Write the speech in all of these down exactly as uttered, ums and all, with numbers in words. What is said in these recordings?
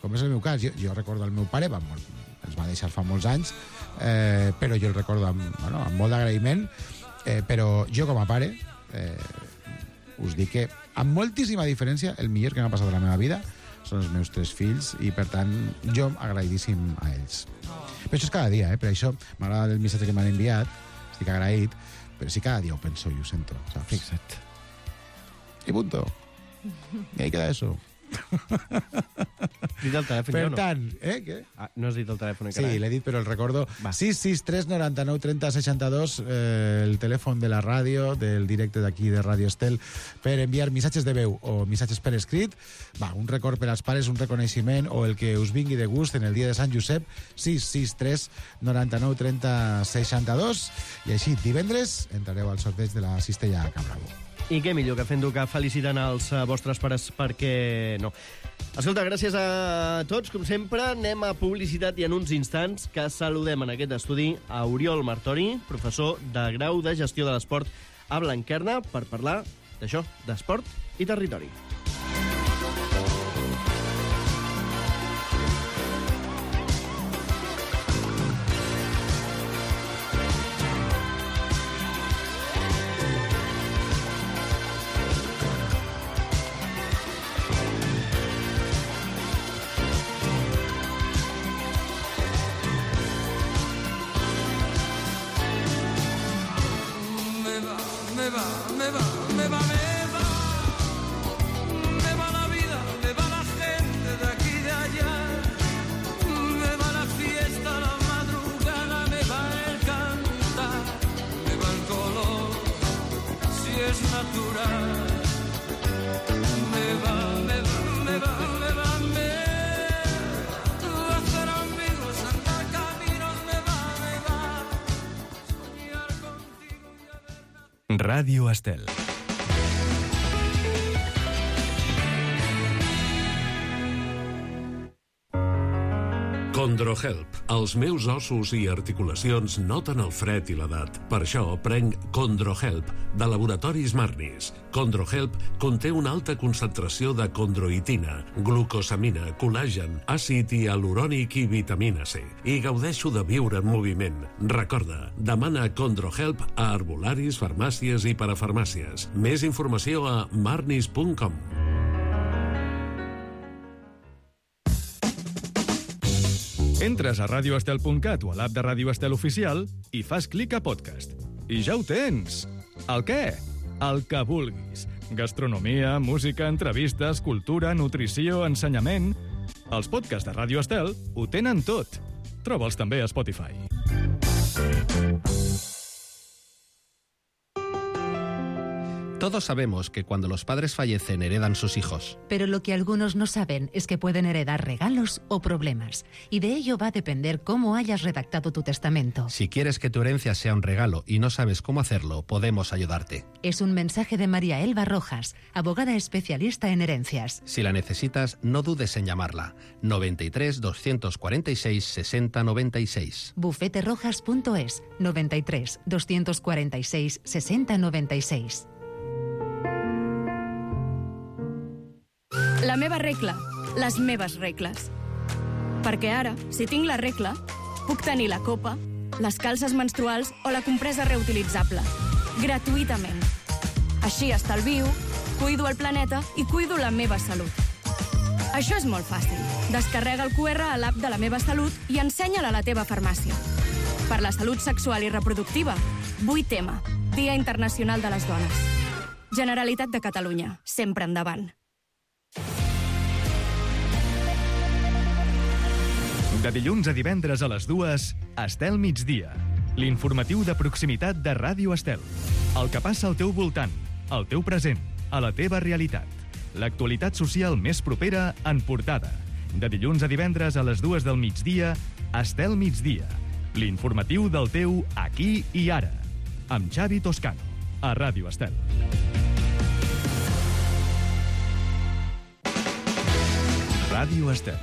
com és el meu cas. Jo, jo recordo el meu pare, va, ens va deixar fa molts anys, eh, però jo el recordo amb, bueno, amb molt d'agraïment, eh, però jo com a pare eh, us dic que amb moltíssima diferència el millor que m'ha passat a la meva vida són els meus tres fills i per tant jo agraïdíssim a ells. Però això és cada dia, eh? Per això m'agrada el missatge que m'han enviat, estic agraït, però sí cada dia ho penso i ho sento, saps? Fixa't. I punto. I ahí queda eso. Dit el telèfon, per jo no? tant, eh, què? Ah, no has dit el telèfon Sí, encara? l'he dit, però el recordo. Va. sis sis tres noranta-nou trenta seixanta-dos, eh, el telèfon de la ràdio, del directe d'aquí de Ràdio Estel, per enviar missatges de veu o missatges per escrit. Va, un record per als pares, un reconeixement o el que us vingui de gust en el dia de Sant Josep. sis sis tres noranta-nou trenta seixanta-dos. I així, divendres, entrareu al sorteig de la cistella Can Bravo. I què millor que fent-ho que felicitant els uh, vostres pares, perquè no. Escolta, gràcies a tots, com sempre. Anem a publicitat i en uns instants que saludem en aquest estudi a Oriol Martori, professor de grau de gestió de l'esport a Blanquerna, per parlar d'això, d'esport i territori. Ràdio Estel. Condrohelp. Els meus ossos i articulacions noten el fred i l'edat. Per això prenc Condrohelp, de Laboratoris Marnis. Condrohelp conté una alta concentració de condroitina, glucosamina, col·làgen, àcid hialurònic i vitamina C. I gaudeixo de viure en moviment. Recorda, demana Condrohelp a herbolaris, farmàcies i parafarmàcies. Més informació a marnis punt com. Entres a radio estel punt cat o a l'app de Ràdio Estel Oficial i fas clic a podcast. I ja ho tens! El què? El que vulguis. Gastronomia, música, entrevistes, cultura, nutrició, ensenyament... Els podcasts de Ràdio Estel ho tenen tot. Troba'ls també a Spotify. Todos sabemos que cuando los padres fallecen heredan sus hijos. Pero lo que algunos no saben es que pueden heredar regalos o problemas. Y de ello va a depender cómo hayas redactado tu testamento. Si quieres que tu herencia sea un regalo y no sabes cómo hacerlo, podemos ayudarte. Es un mensaje de María Elba Rojas, abogada especialista en herencias. Si la necesitas, no dudes en llamarla. noventa y tres, doscientos cuarenta y seis, sesenta noventa y seis. bufete rojas punto es, noventa y tres, doscientos cuarenta y seis, sesenta noventa y seis. La meva regla, les meves regles. Perquè ara, si tinc la regla, puc tenir la copa, les calces menstruals o la compresa reutilitzable. Gratuïtament. Així estalvio, cuido el planeta i cuido la meva salut. Això és molt fàcil. Descarrega el cu erre a l'app de la meva salut i ensenya-la a la teva farmàcia. Per la salut sexual i reproductiva, vuit eme, Dia Internacional de les Dones. Generalitat de Catalunya, sempre endavant. De dilluns a divendres a les dues, Estel Migdia. L'informatiu de proximitat de Ràdio Estel. El que passa al teu voltant, al teu present, a la teva realitat. L'actualitat social més propera en portada. De dilluns a divendres a les dues del migdia, Estel Migdia. L'informatiu del teu aquí i ara. Amb Xavi Toscano, a Ràdio Estel. Ràdio Estel.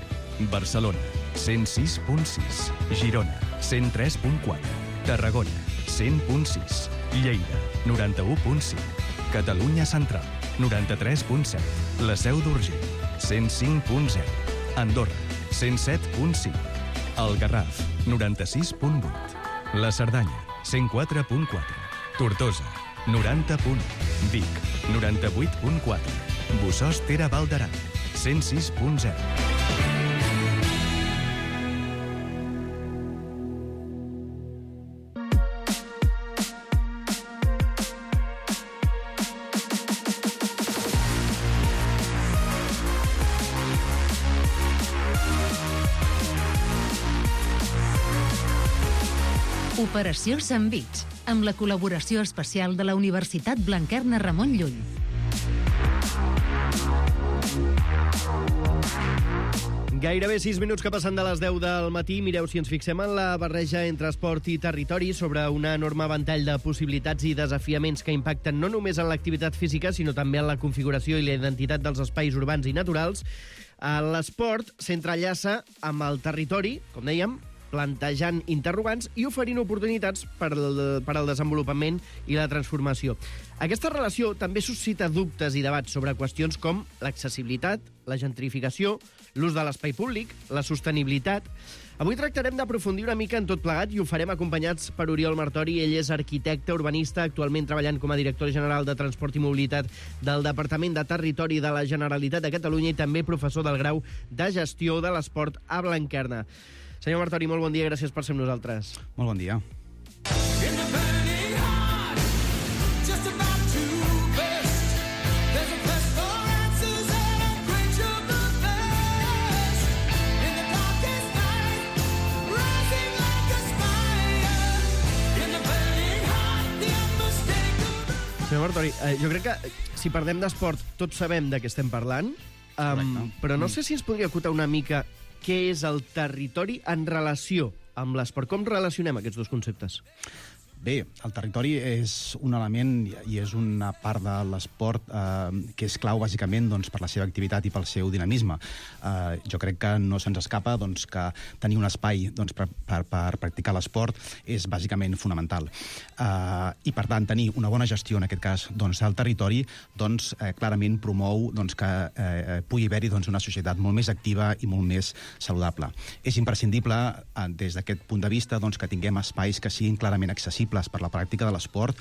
Barcelona, cent sis punt sis. Girona, cent tres punt quatre. Tarragona, cent punt sis. Lleida, noranta-u punt cinc. Catalunya Central, noranta-tres punt set. La Seu d'Urgell, cent cinc punt zero. Andorra, cent set punt cinc. El Garraf, noranta-sis punt vuit. La Cerdanya, cent quatre punt quatre. Tortosa, noranta punt u. Vic, noranta-vuit punt quatre. Bossòst Ter Val d'Aran, cent sis punt zero. Operació Sandvich, amb la col·laboració especial de la Universitat Blanquerna Ramon Llull. Gairebé sis minuts que passen de les deu del matí. Mireu, si ens fixem en la barreja entre esport i territori sobre un enorme ventall de possibilitats i desafiaments que impacten no només en l'activitat física, sinó també en la configuració i la identitat dels espais urbans i naturals, l'esport s'entrellaça amb el territori, com dèiem, plantejant interrogants i oferint oportunitats per al, per al desenvolupament i la transformació. Aquesta relació també suscita dubtes i debats sobre qüestions com l'accessibilitat, la gentrificació, l'ús de l'espai públic, la sostenibilitat. Avui tractarem d'aprofundir una mica en tot plegat i ho farem acompanyats per Oriol Martori. Ell és arquitecte urbanista, actualment treballant com a director general de Transport i Mobilitat del Departament de Territori de la Generalitat de Catalunya i també professor del grau de Gestió de l'Esport a Blanquerna. Senyor Martori, molt bon dia, gràcies per ser amb nosaltres. Molt bon dia. Senyor Martori, eh, jo crec que si parlem d'esport tots sabem de què estem parlant, um, però no sé si ens podria acotar una mica què és el territori en relació amb l'esport. Com relacionem aquests dos conceptes? Bé, el territori és un element i és una part de l'esport eh, que és clau, bàsicament, doncs, per la seva activitat i pel seu dinamisme. Eh, jo crec que no se'ns escapa doncs, que tenir un espai doncs, per, per, per practicar l'esport és bàsicament fonamental. Eh, I, per tant, tenir una bona gestió, en aquest cas, doncs, del territori, doncs, eh, clarament promou doncs, que eh, pugui haver-hi doncs, una societat molt més activa i molt més saludable. És imprescindible, eh, des d'aquest punt de vista, doncs, que tinguem espais que siguin clarament accessibles per la pràctica de l'esport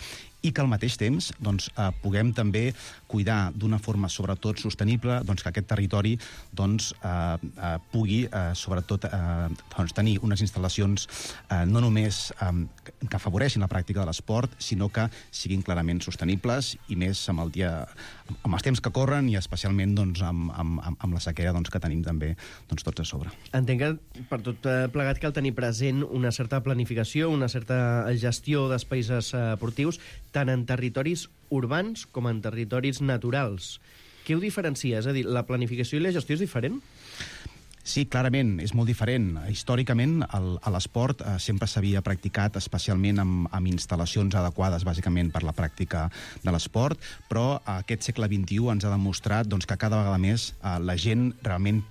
i que al mateix temps doncs, eh, puguem també cuidar d'una forma sobretot sostenible doncs, que aquest territori doncs, eh, eh, pugui eh, sobretot eh, doncs, tenir unes instal·lacions eh, no només eh, que afavoreixin la pràctica de l'esport, sinó que siguin clarament sostenibles i més amb, el dia, amb els temps que corren i especialment doncs, amb, amb, amb la sequera doncs, que tenim també doncs, tots a sobre. Entenc que per tot plegat cal tenir present una certa planificació, una certa gestió d'espais esportius, tant en territoris urbans com en territoris naturals. Què ho diferencia? És a dir, la planificació i la gestió és diferent? Sí, clarament, és molt diferent. Històricament, el, l'esport eh, sempre s'havia practicat especialment amb, amb instal·lacions adequades, bàsicament, per la pràctica de l'esport, però aquest segle vint-i-u ens ha demostrat doncs, que cada vegada més eh, la gent realment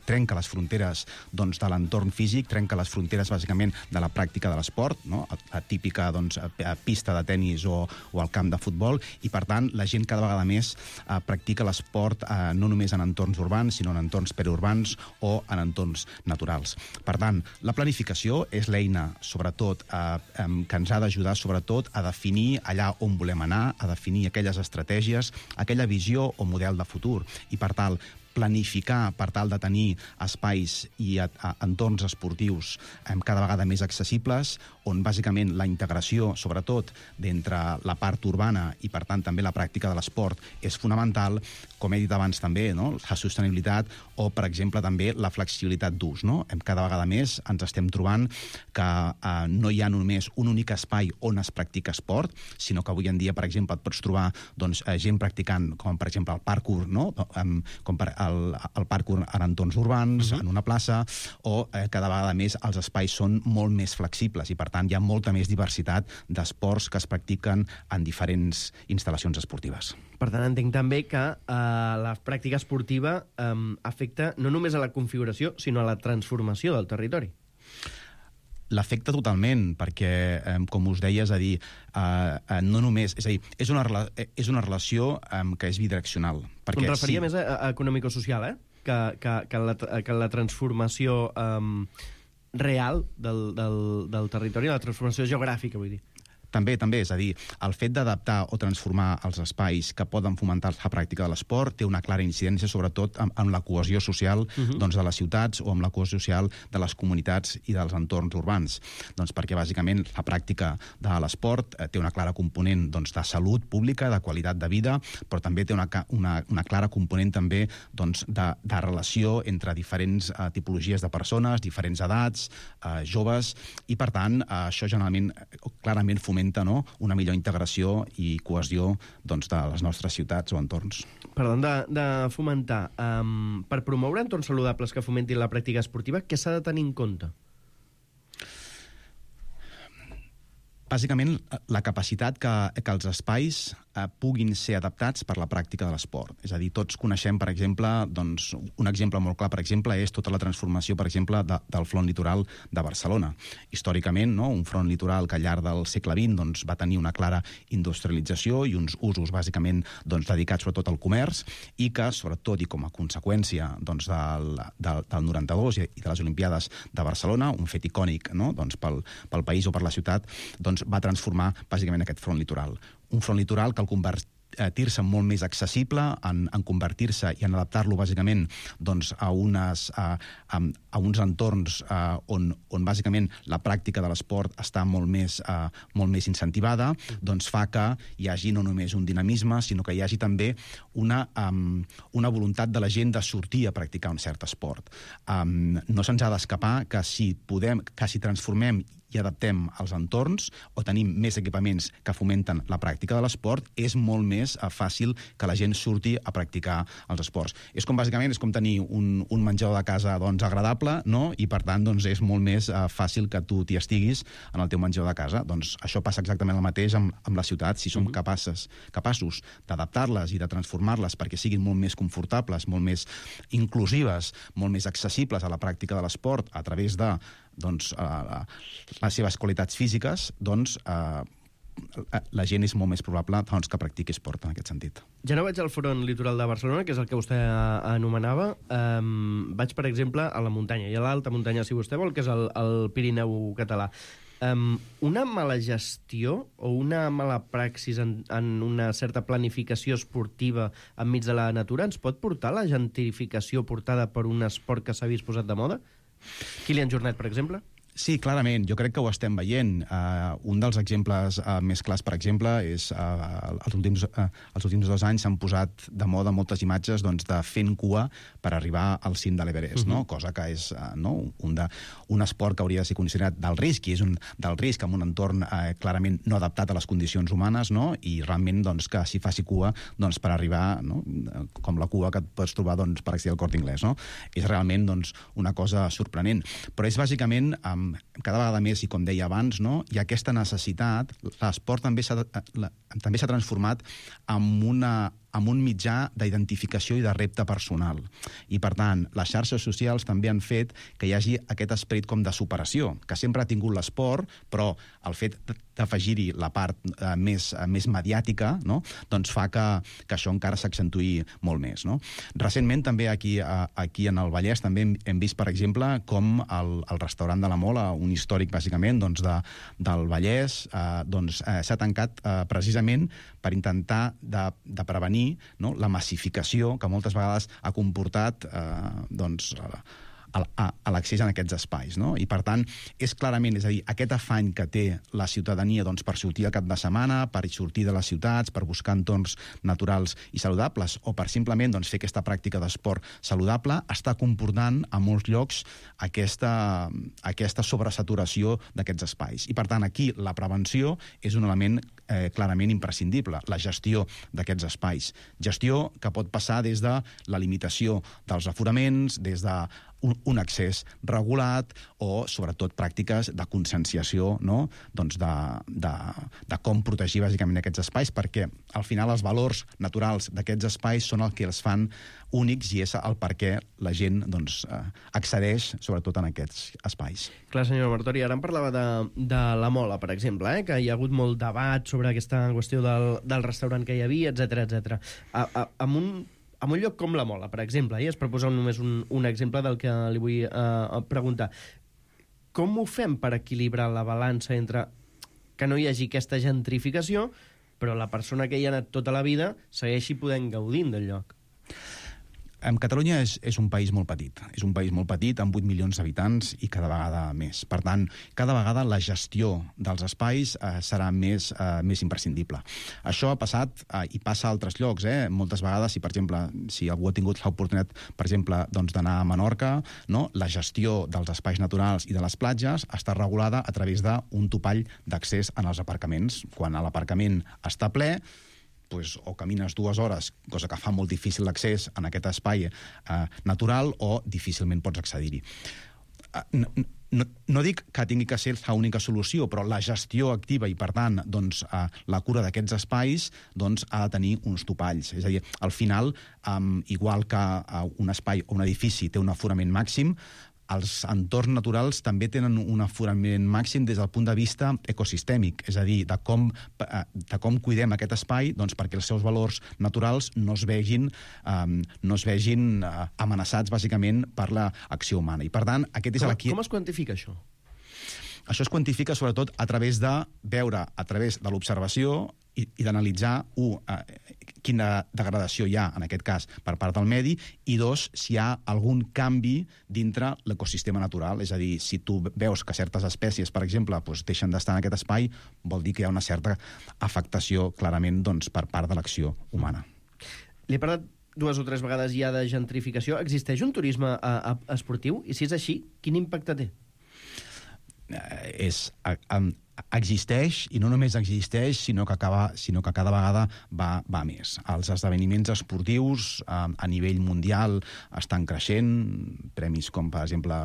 trenca les fronteres doncs, de l'entorn físic, trenca les fronteres, bàsicament, de la pràctica de l'esport, no? a, a típica doncs, a, a pista de tennis o, o al camp de futbol, i, per tant, la gent cada vegada més eh, practica l'esport eh, no només en entorns urbans, sinó en entorns periurbans o en entorns naturals. Per tant, la planificació és l'eina, sobretot, eh, eh, que ens ha d'ajudar, sobretot, a definir allà on volem anar, a definir aquelles estratègies, aquella visió o model de futur, i, per tant, planificar per tal de tenir espais i a, a, entorns esportius eh, cada vegada més accessibles, on bàsicament la integració, sobretot, d'entre la part urbana i, per tant, també la pràctica de l'esport és fonamental, com he dit abans també, no? La sostenibilitat o, per exemple, també la flexibilitat d'ús. No? Cada vegada més ens estem trobant que eh, no hi ha només un únic espai on es practica esport, sinó que avui en dia, per exemple, et pots trobar doncs, gent practicant, com per exemple el parkour, no? com per el, el parkour en entorns urbans, uh-huh. en una plaça, o eh, cada vegada més els espais són molt més flexibles i, per tant, hi ha molta més diversitat d'esports que es practiquen en diferents instal·lacions esportives. Per tant, entenc també que eh, la pràctica esportiva eh, afecta no només a la configuració, sinó a la transformació del territori. L'afecta totalment, perquè, eh, com us deia, és a dir, eh, no només... És a dir, és una, és una relació eh, que és bidireccional. Em referia sí. més a, a econòmico-social, eh? que, que, que, la, que la transformació um, real del, del, del territori, la transformació geogràfica, vull dir. També, també, és a dir, el fet d'adaptar o transformar els espais que poden fomentar la pràctica de l'esport té una clara incidència, sobretot en, en la cohesió social uh-huh. doncs, de les ciutats o amb la cohesió social de les comunitats i dels entorns urbans. Doncs perquè, bàsicament, la pràctica de l'esport eh, té una clara component doncs, de salut pública, de qualitat de vida, però també té una, una, una clara component també doncs, de, de relació entre diferents eh, tipologies de persones, diferents edats, eh, joves, i, per tant, eh, això generalment, clarament fomenta no? una millor integració i cohesió doncs, de les nostres ciutats o entorns. Parlant de, de fomentar, um, per promoure entorns saludables que fomentin la pràctica esportiva, què s'ha de tenir en compte? Bàsicament, la capacitat que, que els espais eh, puguin ser adaptats per la pràctica de l'esport. És a dir, tots coneixem, per exemple, doncs, un exemple molt clar, per exemple, és tota la transformació, per exemple, de, del front litoral de Barcelona. Històricament, no? un front litoral que al llarg del segle vint doncs, va tenir una clara industrialització i uns usos, bàsicament, doncs, dedicats sobretot al comerç, i que, sobretot, i com a conseqüència doncs, del, del, del noranta-dos i de les Olimpiades de Barcelona, un fet icònic no? doncs, pel, pel país o per la ciutat, doncs, va transformar bàsicament aquest front litoral. Un front litoral que al convertir-se molt més accessible, en, en convertir-se i en adaptar-lo bàsicament doncs, a, unes, a, a, a uns entorns a, on, on bàsicament la pràctica de l'esport està molt més, a, molt més incentivada, doncs fa que hi hagi no només un dinamisme, sinó que hi hagi també una, um, una voluntat de la gent de sortir a practicar un cert esport. Um, no se'ns ha d'escapar que si podem, que si transformem i adaptem els entorns o tenim més equipaments que fomenten la pràctica de l'esport, és molt més uh, fàcil que la gent surti a practicar els esports. És com, bàsicament, és com tenir un, un menjador de casa doncs, agradable, no? I, per tant, doncs, és molt més uh, fàcil que tu t'hi estiguis en el teu menjador de casa. Doncs això passa exactament el mateix amb, amb la ciutat. Si som mm-hmm. capaces, capaços d'adaptar-les i de transformar-les perquè siguin molt més confortables, molt més inclusives, molt més accessibles a la pràctica de l'esport a través de doncs, uh, les seves qualitats físiques, doncs uh, la gent és molt més probable doncs, que practiqui esport en aquest sentit. Ja no vaig al front litoral de Barcelona, que és el que vostè anomenava. Um, vaig, per exemple, a la muntanya, i a l'alta muntanya, si vostè vol, que és el, el Pirineu català. Um, una mala gestió o una mala praxis en, en una certa planificació esportiva enmig de la natura ens pot portar a la gentrificació portada per un esport que s'ha vist posat de moda? Kilian Jornet, per exemple? Sí, clarament. Jo crec que ho estem veient. Uh, un dels exemples uh, més clars, per exemple, és uh, els, últims, uh, els últims dos anys s'han posat de moda moltes imatges doncs, de fent cua per arribar al cim de l'Everest, uh-huh. no? Cosa que és uh, no? un, de, un esport que hauria de ser considerat d'alt risc, i és un del risc en un entorn uh, clarament no adaptat a les condicions humanes, no? I realment doncs, que s'hi faci cua doncs, per arribar, no? com la cua que et pots trobar doncs, per accedir al Corte Inglés. No? És realment doncs, una cosa sorprenent. Però és bàsicament... Um, cada vegada més, i com deia abans, no, hi ha aquesta necessitat, l'esport també s'ha també s'ha transformat en una amb un mitjà d'identificació i de repte personal. I, per tant, les xarxes socials també han fet que hi hagi aquest esperit com de superació, que sempre ha tingut l'esport, però el fet d'afegir-hi la part eh, més, eh, més mediàtica, no? doncs fa que, que això encara s'accentuï molt més. No? Recentment, també aquí, a, aquí en el Vallès, també hem, hem vist, per exemple, com el, el restaurant de la Mola, un històric, bàsicament, doncs, de, del Vallès, eh, doncs, eh, s'ha tancat eh, precisament per intentar de, de prevenir no? la massificació que moltes vegades ha comportat eh, doncs, a, a, a l'accés en aquests espais. No? I, per tant, és clarament, és a dir, aquest afany que té la ciutadania doncs, per sortir al cap de setmana, per sortir de les ciutats, per buscar entorns naturals i saludables, o per simplement doncs, fer aquesta pràctica d'esport saludable, està comportant a molts llocs aquesta, aquesta sobresaturació d'aquests espais. I, per tant, aquí la prevenció és un element eh, clarament imprescindible, la gestió d'aquests espais. Gestió que pot passar des de la limitació dels aforaments, des de un, un accés regulat o, sobretot, pràctiques de conscienciació, no? doncs de, de, de com protegir bàsicament aquests espais, perquè al final els valors naturals d'aquests espais són el que els fan únics i és el per què la gent doncs, accedeix, sobretot, en aquests espais. Clar, senyor Martori, ara em parlava de, de la Mola, per exemple, eh? que hi ha hagut molt debat sobre aquesta qüestió del, del restaurant que hi havia, etcètera etcètera. Amb un en un lloc com la Mola, per exemple, i es proposa només un, un exemple del que li vull eh, preguntar, com ho fem per equilibrar la balança entre que no hi hagi aquesta gentrificació, però la persona que hi ha anat tota la vida segueixi podent gaudint del lloc? En Catalunya és, és un país molt petit. És un país molt petit, amb vuit milions d'habitants i cada vegada més. Per tant, cada vegada la gestió dels espais eh, serà més, eh, més imprescindible. Això ha passat eh, i passa a altres llocs. Eh? Moltes vegades, si per exemple, si algú ha tingut l'oportunitat, per exemple, doncs, d'anar a Menorca, no? La gestió dels espais naturals i de les platges està regulada a través d'un topall d'accés en els aparcaments. Quan l'aparcament està ple, pues, o camines dues hores, cosa que fa molt difícil l'accés en aquest espai eh, natural, o difícilment pots accedir-hi. Eh, no, no, no dic que tingui que ser l'única solució, però la gestió activa i, per tant, doncs, eh, la cura d'aquests espais doncs, ha de tenir uns topalls. És a dir, al final, eh, igual que eh, un espai o un edifici té un aforament màxim, els entorns naturals també tenen un aforament màxim des del punt de vista ecosistèmic, és a dir, de com, de com cuidem aquest espai doncs, perquè els seus valors naturals no es vegin, um, no es vegin uh, amenaçats, bàsicament, per l'acció humana. I, per tant, aquest és com, aquí... com es quantifica això? Això es quantifica, sobretot, a través de veure, a través de l'observació i, i d'analitzar, un, uh, quina degradació hi ha, en aquest cas, per part del medi, i dos, si hi ha algun canvi dintre l'ecosistema natural. És a dir, si tu veus que certes espècies, per exemple, doncs, deixen d'estar en aquest espai, vol dir que hi ha una certa afectació, clarament, doncs, per part de l'acció humana. Li he parlat dues o tres vegades ja de gentrificació. Existeix un turisme a, a, esportiu? I si és així, quin impacte té? Eh, és... A, a, existeix, i no només existeix, sinó que, acaba, sinó que cada vegada va, va més. Els esdeveniments esportius eh, a nivell mundial estan creixent, premis com, per exemple,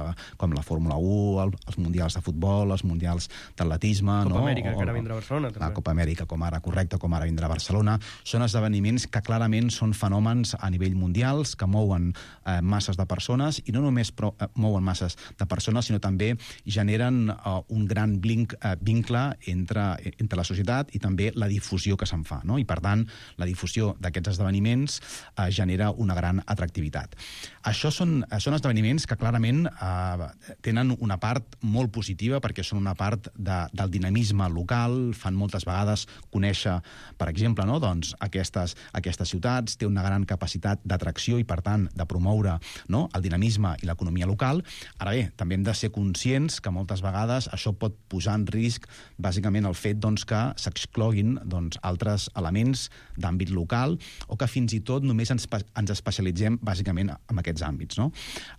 com la Fórmula u, el, els mundials de futbol, els mundials d'atletisme... Copa no? Amèrica, o, que ara vindrà a Barcelona. La també. Copa Amèrica, com ara, correcte, com ara vindrà a Barcelona. Són esdeveniments que clarament són fenòmens a nivell mundials, que mouen eh, masses de persones, i no només pro, eh, mouen masses de persones, sinó també generen eh, un gran blinc, eh, vincle entre, entre la societat i també la difusió que se'n fa, no? I, per tant, la difusió d'aquests esdeveniments eh, genera una gran atractivitat. Això són, són esdeveniments que clarament eh, tenen una part molt positiva, perquè són una part de, del dinamisme local, fan moltes vegades conèixer, per exemple, no? doncs, aquestes, aquestes ciutats, té una gran capacitat d'atracció i, per tant, de promoure, no? el dinamisme i l'economia local. Ara bé, també hem de ser conscients que moltes vegades això pot posar en risc bàsicament el fet doncs, que s'excloguin doncs, altres elements d'àmbit local, o que fins i tot només ens, ens especialitzem bàsicament en aquests àmbits. No?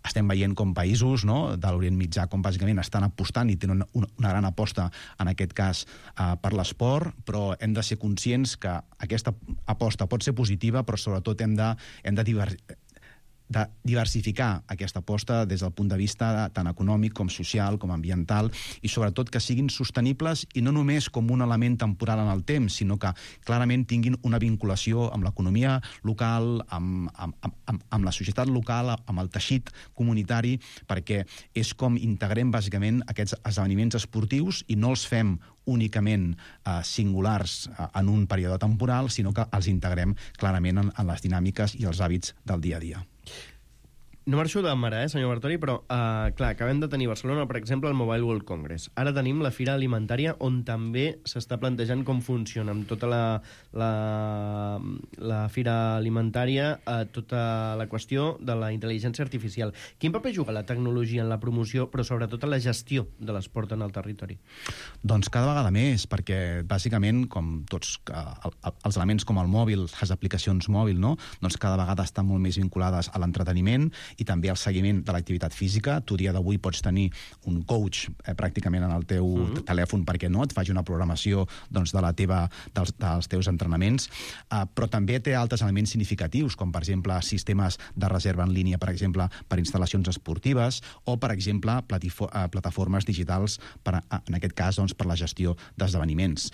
Estem veient com països, no, de l'Orient Mitjà com bàsicament estan apostant i tenen una, una gran aposta en aquest cas eh, per l'esport, però hem de ser conscients que aquesta aposta pot ser positiva, però sobretot hem de, hem de diversificar de diversificar aquesta aposta des del punt de vista tant econòmic com social, com ambiental, i sobretot que siguin sostenibles i no només com un element temporal en el temps, sinó que clarament tinguin una vinculació amb l'economia local, amb, amb, amb, amb la societat local, amb el teixit comunitari, perquè és com integrem bàsicament aquests esdeveniments esportius i no els fem únicament eh, singulars eh, en un període temporal, sinó que els integrem clarament en, en les dinàmiques i els hàbits del dia a dia. No marxo de mare, eh, senyor Bartoli, però, eh, clar, acabem de tenir a Barcelona, per exemple, el Mobile World Congress. Ara tenim la Fira Alimentària, on també s'està plantejant com funciona, amb tota la, la, la Fira Alimentària, eh, tota la qüestió de la intel·ligència artificial. Quin paper juga la tecnologia en la promoció, però sobretot en la gestió de l'esport en el territori? Doncs cada vegada més, perquè bàsicament, com tots eh, els elements com el mòbil, les aplicacions mòbil, no? doncs cada vegada estan molt més vinculades a l'entreteniment i també al seguiment de l'activitat física. Tu, dia d'avui, pots tenir un coach eh, pràcticament en el teu mm-hmm. telèfon perquè no et faci una programació doncs, de la teva, dels, dels teus entrenaments, eh, però també té altres elements significatius, com, per exemple, sistemes de reserva en línia, per exemple, per instal·lacions esportives, o, per exemple, platifo- eh, plataformes digitals, per, en aquest cas, doncs, per la gestió d'esdeveniments.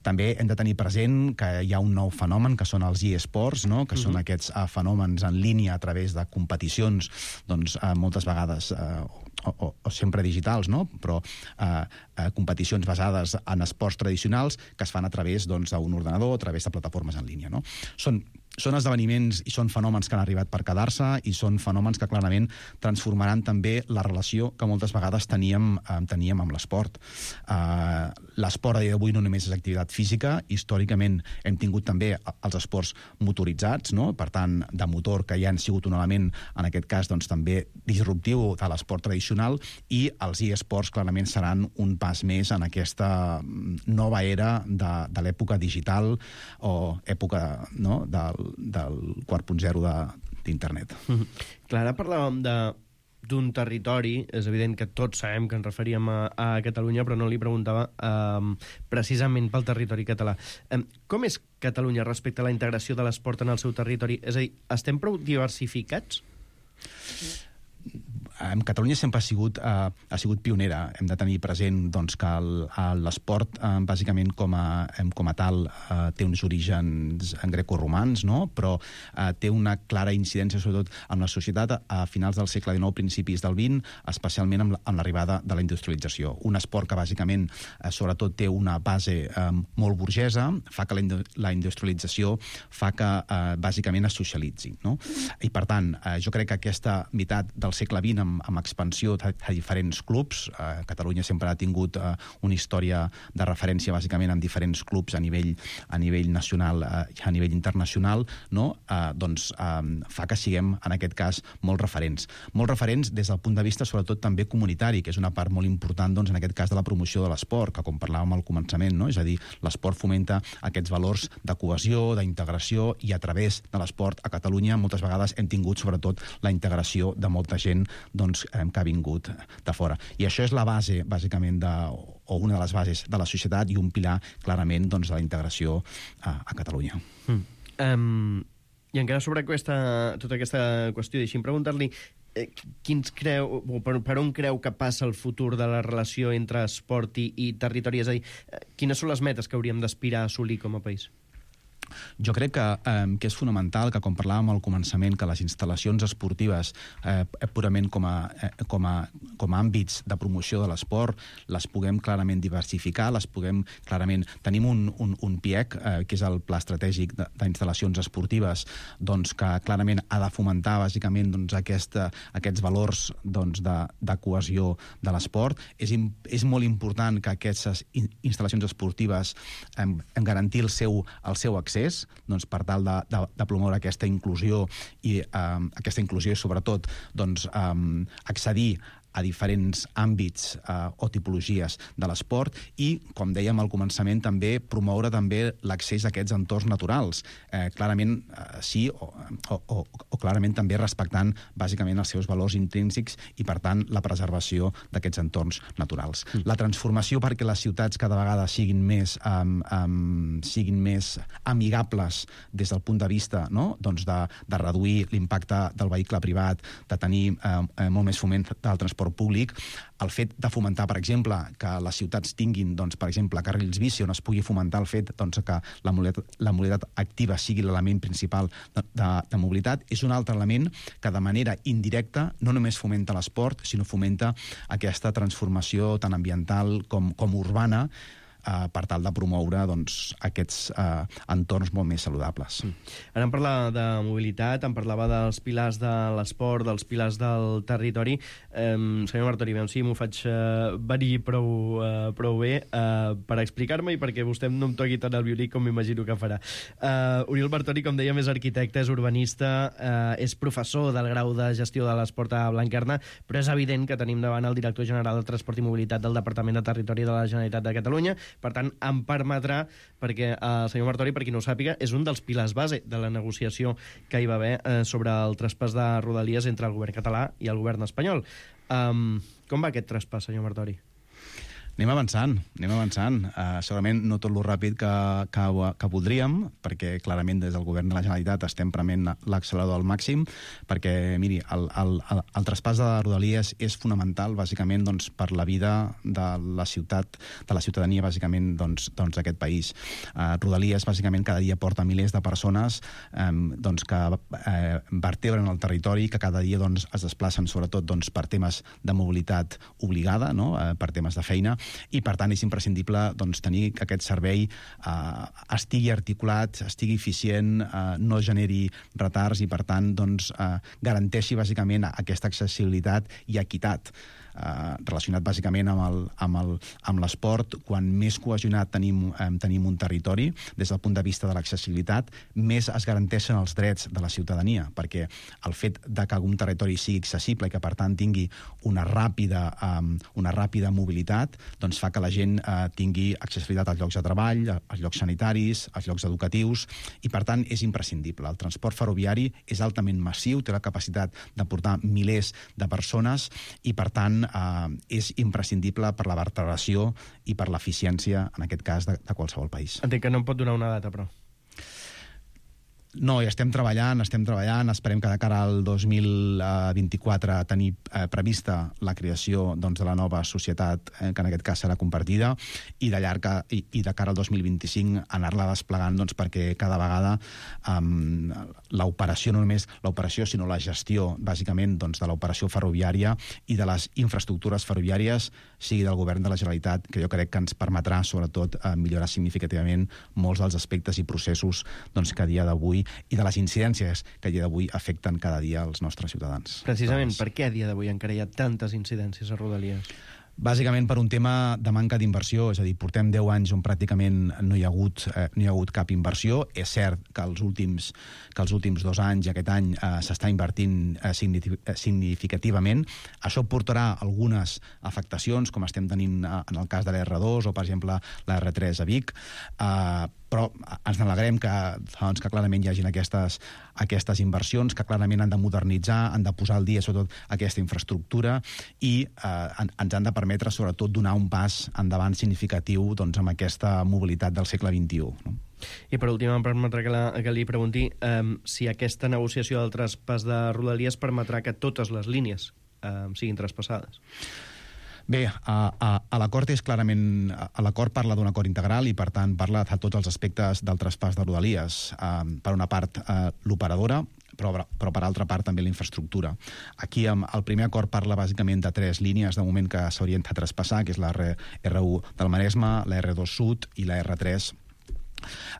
També hem de tenir present que hi ha un nou fenomen, que són els e-sports, no? que mm-hmm. són aquests eh, fenòmens en línia a través de competicions doncs, eh, moltes vegades eh, o, o, o sempre digitals, no? però eh, eh, competicions basades en esports tradicionals que es fan a través doncs, d'un ordenador, a través de plataformes en línia. No? Són són esdeveniments i són fenòmens que han arribat per quedar-se i són fenòmens que clarament transformaran també la relació que moltes vegades teníem, eh, teníem amb l'esport. Eh, l'esport a dia d'avui no només és activitat física, històricament hem tingut també els esports motoritzats, no? Per tant, de motor, que ja han sigut un element, en aquest cas, doncs, també disruptiu de l'esport tradicional, i els e-sports clarament seran un pas més en aquesta nova era de, de l'època digital o època, no?, del del quatre punt zero d'internet. Mm-hmm. Clar, ara parlàvem de d'un territori, és evident que tots sabem que ens referíem a, a Catalunya, però no li preguntava eh, precisament pel territori català. Eh, com és Catalunya respecte a la integració de l'esport en el seu territori? És a dir, estem prou diversificats? En Catalunya sempre ha sigut, uh, ha sigut pionera. Hem de tenir present doncs, que l'esport, uh, bàsicament com a, com a tal, uh, té uns orígens grecorromans, no? Però uh, té una clara incidència, sobretot en la societat, a finals del segle dinou, principis del vint, especialment amb l'arribada de la industrialització. Un esport que, bàsicament, uh, sobretot té una base um, molt burgesa, fa que la, la industrialització fa que, uh, bàsicament, es socialitzi, no? I, per tant, uh, jo crec que aquesta meitat del segle vint, amb, amb expansió a, a diferents clubs. Eh, Catalunya sempre ha tingut eh, una història de referència, bàsicament, amb diferents clubs a nivell, a nivell nacional i eh, a nivell internacional, no? eh, doncs eh, fa que siguem, en aquest cas, molt referents. Molt referents des del punt de vista, sobretot, també comunitari, que és una part molt important, doncs, en aquest cas, de la promoció de l'esport, que, com parlàvem al començament, no? És a dir, l'esport fomenta aquests valors de cohesió, d'integració, i a través de l'esport a Catalunya moltes vegades hem tingut, sobretot, la integració de molta gent doncs, eh, que ha vingut de fora. I això és la base, bàsicament, de, o una de les bases de la societat i un pilar, clarament, doncs, de la integració a, a Catalunya. Mm. Um, I encara sobre aquesta, tota aquesta qüestió, deixi'm preguntar-li eh, quins creu, per, per on creu que passa el futur de la relació entre esport i, i territori? És a dir, eh, quines són les metes que hauríem d'aspirar a assolir com a país? Jo crec que, eh, que és fonamental que, com parlàvem al començament, que les instal·lacions esportives, eh, purament com a, eh, com, a, com a àmbits de promoció de l'esport, les puguem clarament diversificar, les puguem clarament... Tenim un, un, un P I E C, eh, que és el Pla Estratègic d'Instal·lacions Esportives, doncs, que clarament ha de fomentar, bàsicament, doncs, aquesta, aquests valors, doncs, de, de cohesió de l'esport. És, és molt important que aquestes instal·lacions esportives eh, garantir el seu, el seu accés, doncs, per tal de, de, de promoure aquesta inclusió i eh, aquesta inclusió i, sobretot, doncs, eh, accedir a diferents àmbits eh, o tipologies de l'esport i, com dèiem al començament, també promoure també l'accés a aquests entorns naturals. Eh, clarament, eh, sí, o, o, o, o clarament també respectant, bàsicament, els seus valors intrínsecs i, per tant, la preservació d'aquests entorns naturals. Mm. La transformació perquè les ciutats cada vegada siguin més, um, um, siguin més amigables des del punt de vista, no?, doncs de, de reduir l'impacte del vehicle privat, de tenir eh, molt més foment del transport públic, el fet de fomentar, per exemple, que les ciutats tinguin, doncs, per exemple, carrils bici, on es pugui fomentar el fet, doncs, que la mobilitat, la mobilitat activa sigui l'element principal de, de, de mobilitat, és un altre element que, de manera indirecta, no només fomenta l'esport, sinó fomenta aquesta transformació tant ambiental com, com urbana, Uh, per tal de promoure, doncs, aquests uh, entorns molt més saludables. Mm. Ara em parlava de mobilitat, em parlava dels pilars de l'esport, dels pilars del territori. Um, senyor Martori, veiem si m'ho faig uh, venir prou, uh, prou bé uh, per explicar-me i perquè vostè no em toqui tant el violí com m'imagino que farà. Uh, Oriol Martori, com dèiem, és arquitecte, és urbanista, uh, és professor del grau de gestió de l'esport a Blanquerna, però és evident que tenim davant el director general de Transport i Mobilitat del Departament de Territori de la Generalitat de Catalunya. Per tant, em permetrà, perquè el senyor Martori, per qui no ho sàpiga, és un dels pilars base de la negociació que hi va haver eh, sobre el traspàs de Rodalies entre el govern català i el govern espanyol. Um, com va aquest traspàs, senyor Martori? Anem avançant, anem avançant. Uh, segurament no tot lo ràpid que, que, que voldríem, perquè clarament des del govern de la Generalitat estem prement l'accelerador al màxim, perquè, miri, el, el, el, el traspàs de Rodalies és fonamental, bàsicament, doncs, per la vida de la ciutat, de la ciutadania, bàsicament, doncs, doncs, d'aquest país. Uh, Rodalies, bàsicament, cada dia porta milers de persones um, doncs, que uh, vertebren el territori, que cada dia doncs, es desplacen, sobretot, doncs, per temes de mobilitat obligada, no? uh, per temes de feina, i per tant és imprescindible doncs, tenir que aquest servei eh, estigui articulat, estigui eficient, eh, no generi retards i per tant doncs, eh, garanteixi bàsicament aquesta accessibilitat i equitat. Eh, relacionat bàsicament amb el, amb el, amb l'esport. Quan més cohesionat tenim, eh, tenim un territori, des del punt de vista de l'accessibilitat, més es garanteixen els drets de la ciutadania, perquè el fet de que un territori sigui accessible i que, per tant, tingui una ràpida, eh, una ràpida mobilitat, doncs fa que la gent eh, tingui accessibilitat als llocs de treball, als llocs sanitaris, als llocs educatius, i, per tant, és imprescindible. El transport ferroviari és altament massiu, té la capacitat de portar milers de persones i, per tant, Uh, és imprescindible per la vertebració i per l'eficiència, en aquest cas, de, de qualsevol país. Entenc que no em pot donar una data, però... No, hi estem treballant, estem treballant, esperem que de cara al dos mil vint-i-quatre tenir eh, prevista la creació doncs, de la nova societat, eh, que en aquest cas serà compartida, i de, llarga, i, i de cara al dos mil vint-i-cinc anar-la desplegant doncs, perquè cada vegada um, l'operació, no només l'operació, sinó la gestió, bàsicament, doncs, de l'operació ferroviària i de les infraestructures ferroviàries sigui del govern de la Generalitat, que jo crec que ens permetrà, sobretot, eh, millorar significativament molts dels aspectes i processos doncs, que a dia d'avui i de les incidències que a dia d'avui afecten cada dia els nostres ciutadans. Precisament, per què a dia d'avui encara hi ha tantes incidències a Rodalies? Bàsicament per un tema de manca d'inversió, és a dir, portem deu anys on pràcticament no hi ha hagut, eh, no hi ha hagut cap inversió. És cert que els últims, que els últims dos anys i aquest any eh, s'està invertint eh, significativament. Això portarà algunes afectacions, com estem tenint eh, en el cas de l'R dos o, per exemple, la R tres a Vic, eh, però ens n'alegrem que, doncs, que clarament hi hagin aquestes, aquestes inversions, que clarament han de modernitzar, han de posar al dia, sobretot, aquesta infraestructura i eh, ens han de permetre, sobretot, donar un pas endavant significatiu doncs, amb aquesta mobilitat del segle vint-i-u. No? I per últim, em permetrà que, la, que li pregunti um, si aquesta negociació del traspàs de Rodalies permetrà que totes les línies um, siguin traspassades. Bé, a, a, a l'acord és clarament... A l'acord parla d'un acord integral i, per tant, parla de tots els aspectes del traspàs de Rodalies. Uh, per una part, uh, l'operadora, però, però per altra part també la infraestructura. Aquí um, el primer acord parla bàsicament de tres línies de moment que s'haurien de traspassar, que és la R u del Maresme, la R dos Sud i la R tres.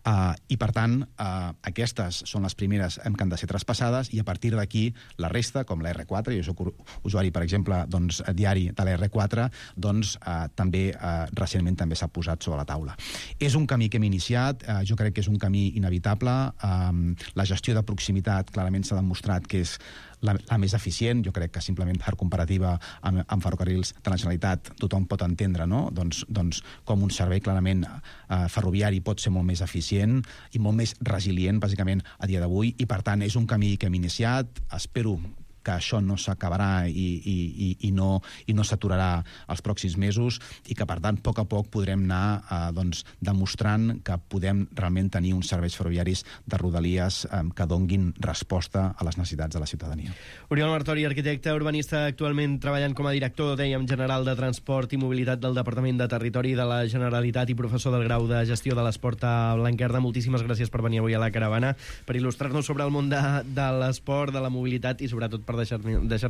Uh, I, per tant, uh, aquestes són les primeres que han de ser traspassades i a partir d'aquí la resta, com la R quatre, jo soc usuari, per exemple, doncs, diari de la R quatre, doncs uh, també uh, recentment també s'ha posat sobre la taula. És un camí que hem iniciat, uh, jo crec que és un camí inevitable, um, la gestió de proximitat clarament s'ha demostrat que és La, la més eficient. Jo crec que simplement per comparativa amb, amb ferrocarrils de la Generalitat tothom pot entendre, no? doncs, doncs com un servei clarament eh, ferroviari pot ser molt més eficient i molt més resilient, bàsicament, a dia d'avui, i per tant és un camí que hem iniciat. Espero que això no s'acabarà i, i, i, i no, i no s'aturarà els pròxims mesos i que, per tant, a poc a poc podrem anar eh, doncs, demostrant que podem realment tenir uns serveis ferroviaris de Rodalies eh, que donguin resposta a les necessitats de la ciutadania. Oriol Martori, arquitecte urbanista, actualment treballant com a director, dèiem, general de Transport i Mobilitat del Departament de Territori de la Generalitat i professor del grau de Gestió de l'Esport a Blanquerna. Moltíssimes gràcies per venir avui a la Caravana, per il·lustrar-nos sobre el món de, de l'esport, de la mobilitat i, sobretot, per deixar-me deixar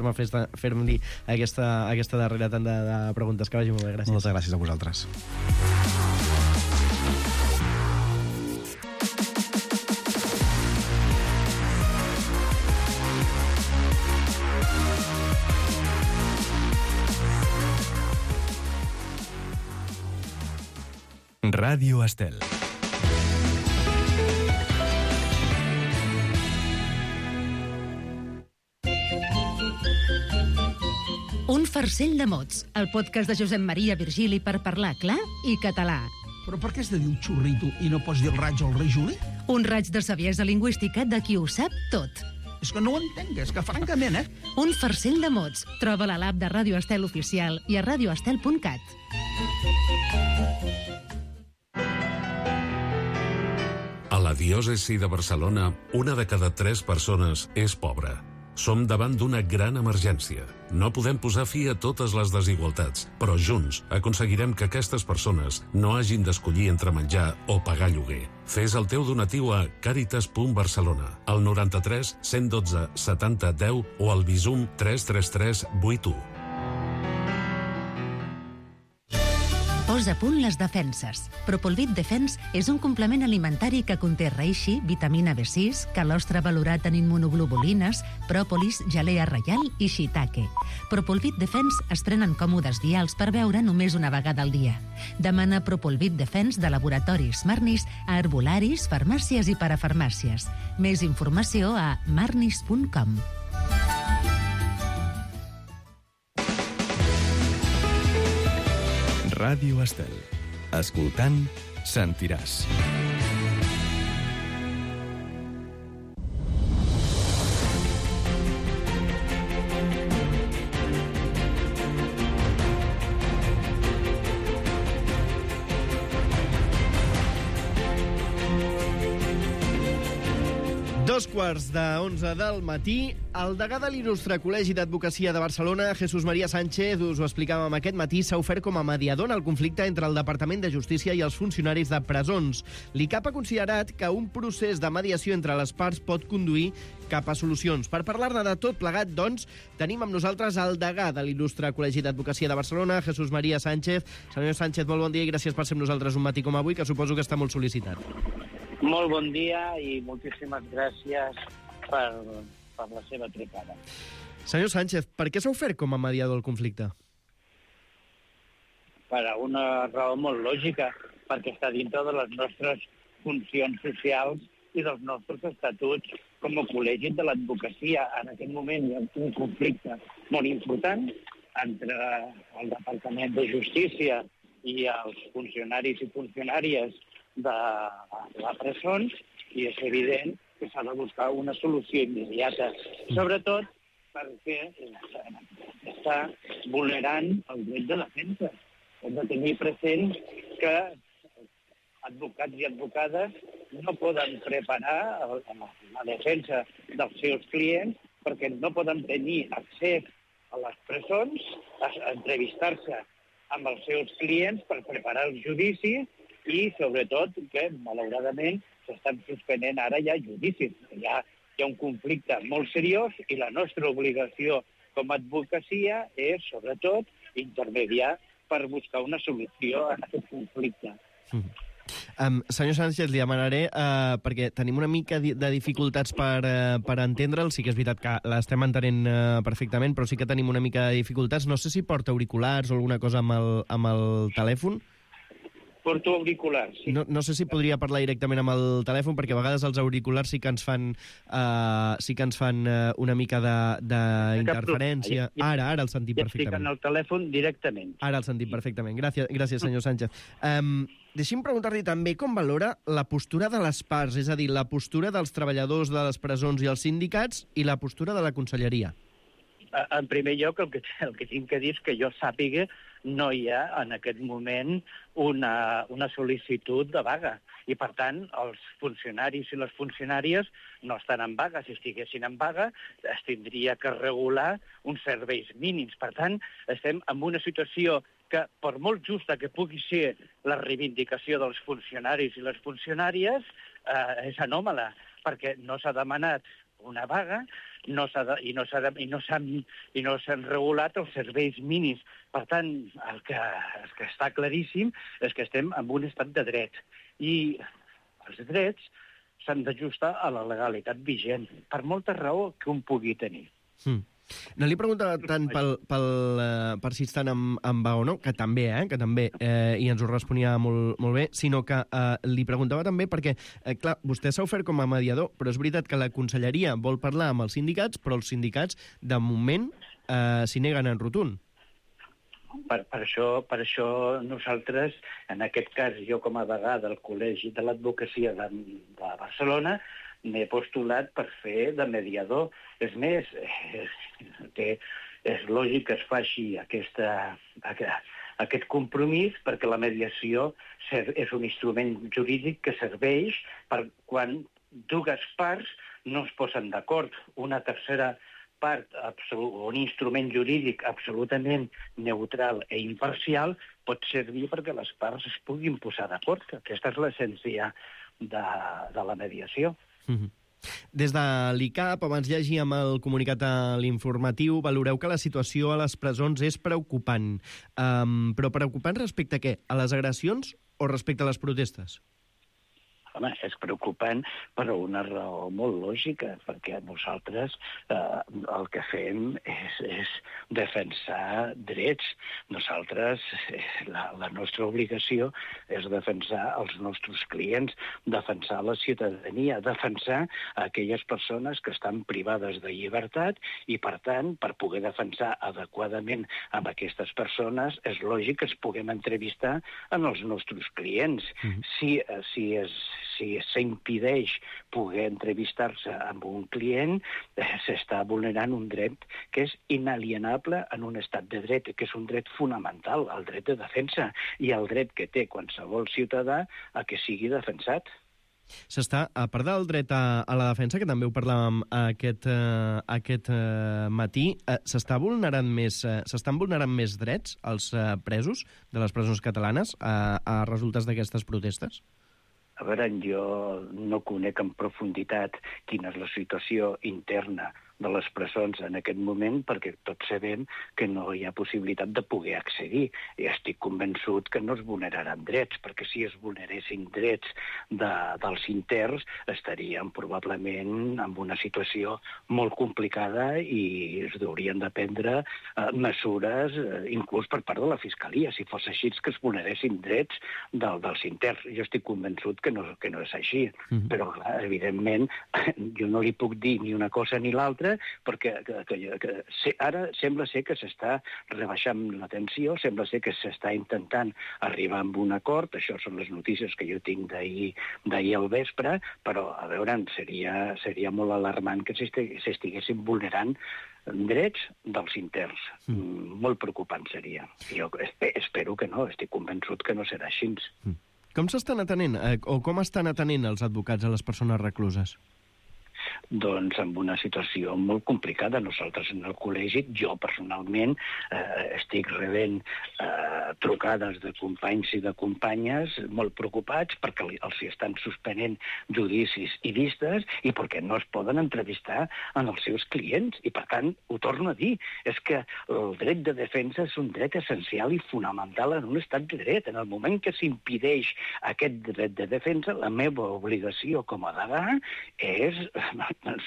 fer-li aquesta, aquesta darrera tanda de preguntes. Que vagi molt bé, gràcies. Moltes gràcies a vosaltres. Ràdio Estel. Un farcell de mots, el podcast de Josep Maria Virgili per parlar clar i català. Però per què has de dir un xurrito i no pots dir el raig al rei Juli? Un raig de saviesa lingüística de qui ho sap tot. És que no ho entenc, és que francament, eh? Un farcell de mots. Troba-la a l'app de Ràdio Estel Oficial i a radioestel punt cat. A la diòcesi de Barcelona, una de cada tres persones és pobra. Som davant d'una gran emergència. No podem posar fi a totes les desigualtats, però junts aconseguirem que aquestes persones no hagin d'escollir entre menjar o pagar lloguer. Fes el teu donatiu a càritas punt barcelona, al noranta-tres cent dotze setanta deu o al Bizum tres tres tres vuit u. a punt les defenses. Propolvit Defense és un complement alimentari que conté reishi, vitamina B sis, calostre valorat en immunoglobulines, pròpolis, gelea reial i shiitake. Propolvit Defense es prenen còmodes vials per beure només una vegada al dia. Demana Propolvit Defense de laboratoris Marnis a herbolaris, farmàcies i parafarmàcies. Més informació a marnis punt com. Ràdio Estel. Escoltant, sentiràs. Dos quarts de onze del matí, el degà de l'il·lustre Col·legi d'Advocacia de Barcelona, Jesús María Sánchez, us ho explicàvem aquest matí, s'ha ofert com a mediador en el conflicte entre el Departament de Justícia i els funcionaris de presons. L'I C A P ha considerat que un procés de mediació entre les parts pot conduir cap a solucions. Per parlar-ne de tot plegat, doncs, tenim amb nosaltres el degà de l'il·lustre Col·legi d'Advocacia de Barcelona, Jesús María Sánchez. Senyor Sánchez, molt bon dia i gràcies per ser amb nosaltres un matí com avui, que suposo que està molt sol·licitat. Molt bon dia i moltíssimes gràcies per, per la seva trucada. Senyor Sánchez, per què s'ha ofert com a mediador el conflicte? Per una raó molt lògica, perquè està dintre de les nostres funcions socials i dels nostres estatuts com a col·legi de l'advocacia. En aquest moment hi ha un conflicte molt important entre el Departament de Justícia i els funcionaris i funcionàries de les presons i és evident que s'ha de buscar una solució immediata, sobretot perquè està vulnerant el dret de defensa. Hem de tenir present que advocats i advocades no poden preparar la defensa dels seus clients perquè no poden tenir accés a les presons, a entrevistar-se amb els seus clients per preparar els judicis i, sobretot, que, malauradament, s'estan suspenent ara ja judicis. Hi ha, hi ha un conflicte molt seriós i la nostra obligació com a advocacia és, sobretot, intermediar per buscar una solució a aquest conflicte. Mm. Um, senyor Sánchez, li demanaré, uh, perquè tenim una mica de dificultats per, uh, per entendre'l. Sí que és veritat que l'estem entenent uh, perfectament, però sí que tenim una mica de dificultats. No sé si porta auriculars o alguna cosa amb el, amb el telèfon. Porto auriculars, sí. No, no sé si podria parlar directament amb el telèfon, perquè a vegades els auriculars sí que ens fan, uh, sí que ens fan uh, una mica d'interferència. Ara, ara el sentim perfectament. Ja estic en el telèfon directament. Ara el sentim perfectament. Gràcies, gràcies senyor Sánchez. Um, deixi'm preguntar-li també com valora la postura de les parts, és a dir, la postura dels treballadors de les presons i els sindicats i la postura de la conselleria. En primer lloc, el que, el que tinc que dir és que jo sàpiga no hi ha en aquest moment una, una sol·licitud de vaga. I, per tant, els funcionaris i les funcionàries no estan en vaga. Si estiguessin en vaga, es tindria que regular uns serveis mínims. Per tant, estem en una situació que, per molt justa que pugui ser la reivindicació dels funcionaris i les funcionàries, eh, és anòmala, perquè no s'ha demanat una vaga no s'ha de, i no s'han no no regulat els serveis mínims. Per tant, el que, el que està claríssim és que estem en un estat de dret i els drets s'han d'ajustar a la legalitat vigent, per molta raó que un pugui tenir. Mm. No li preguntava tant pel, pel, uh, per si estan en, en vaga o no, que també, eh, que també, eh, i ens ho responia molt, molt bé, sinó que uh, li preguntava també perquè, eh, clar, vostè s'ha ofert com a mediador, però és veritat que la conselleria vol parlar amb els sindicats, però els sindicats, de moment, eh, s'hi neguen en rotund. Per, per, això, per això nosaltres, en aquest cas, jo com a degà del Col·legi de l'Advocacia de, de Barcelona, m'he postulat per fer de mediador. És més, és, que és lògic que es faci aquesta, aquest compromís perquè la mediació és un instrument jurídic que serveix per quan dues parts no es posen d'acord. Una tercera part, un instrument jurídic absolutament neutral i imparcial, pot servir perquè les parts es puguin posar d'acord. Aquesta és l'essència de, de la mediació. Mm-hmm. Des de l'I C A P, abans llegíem el comunicat a l'informatiu, valoreu que la situació a les presons és preocupant. Um, però preocupant respecte a què? A les agressions o respecte a les protestes? Home, és preocupant per una raó molt lògica, perquè nosaltres eh, el que fem és, és defensar drets. Nosaltres, eh, la, la nostra obligació és defensar els nostres clients, defensar la ciutadania, defensar aquelles persones que estan privades de llibertat i, per tant, per poder defensar adequadament amb aquestes persones, és lògic que es puguem entrevistar en els nostres clients. Mm-hmm. Si, si és si s'impedeix poder entrevistar-se amb un client, eh, s'està vulnerant un dret que és inalienable en un estat de dret, que és un dret fonamental, el dret de defensa, i el dret que té qualsevol ciutadà a que sigui defensat. S'està, a part del dret a, a la defensa, que també ho parlàvem aquest, uh, aquest uh, matí, uh, s'està vulnerant més, uh, s'estan vulnerant més drets als uh, presos de les presons catalanes uh, a resultes d'aquestes protestes? A veure, jo no conec en profunditat quina és la situació interna de les presons en aquest moment, perquè tots sabem que no hi ha possibilitat de poder accedir. I estic convençut que no es vulneraran drets, perquè si es vulneressin drets de, dels interns, estaríem probablement en una situació molt complicada i es haurien de prendre eh, mesures, eh, inclús per part de la Fiscalia, si fos així que es vulneressin drets del, dels interns. Jo estic convençut que no, que no és així, mm-hmm. però clar, evidentment jo no li puc dir ni una cosa ni l'altra, perquè que, que, que, que, ara sembla ser que s'està rebaixant la tensió, sembla ser que s'està intentant arribar a un acord, això són les notícies que jo tinc d'ahir d'ahir al vespre, però, a veure, seria, seria molt alarmant que s'estiguessin vulnerant drets dels interns. Mm. Molt preocupant seria. Jo espero que no, estic convençut que no serà així. Mm. Com s'estan atenent, eh, o com estan atenent els advocats a les persones recluses? Doncs en una situació molt complicada. Nosaltres en el col·legi, jo personalment, eh, estic rebent eh, trucades de companys i de companyes molt preocupats perquè els estan suspenent judicis i vistes i perquè no es poden entrevistar en els seus clients. I, per tant, ho torno a dir, és que el dret de defensa és un dret essencial i fonamental en un estat de dret. En el moment que s'impedeix aquest dret de defensa, la meva obligació com a degà és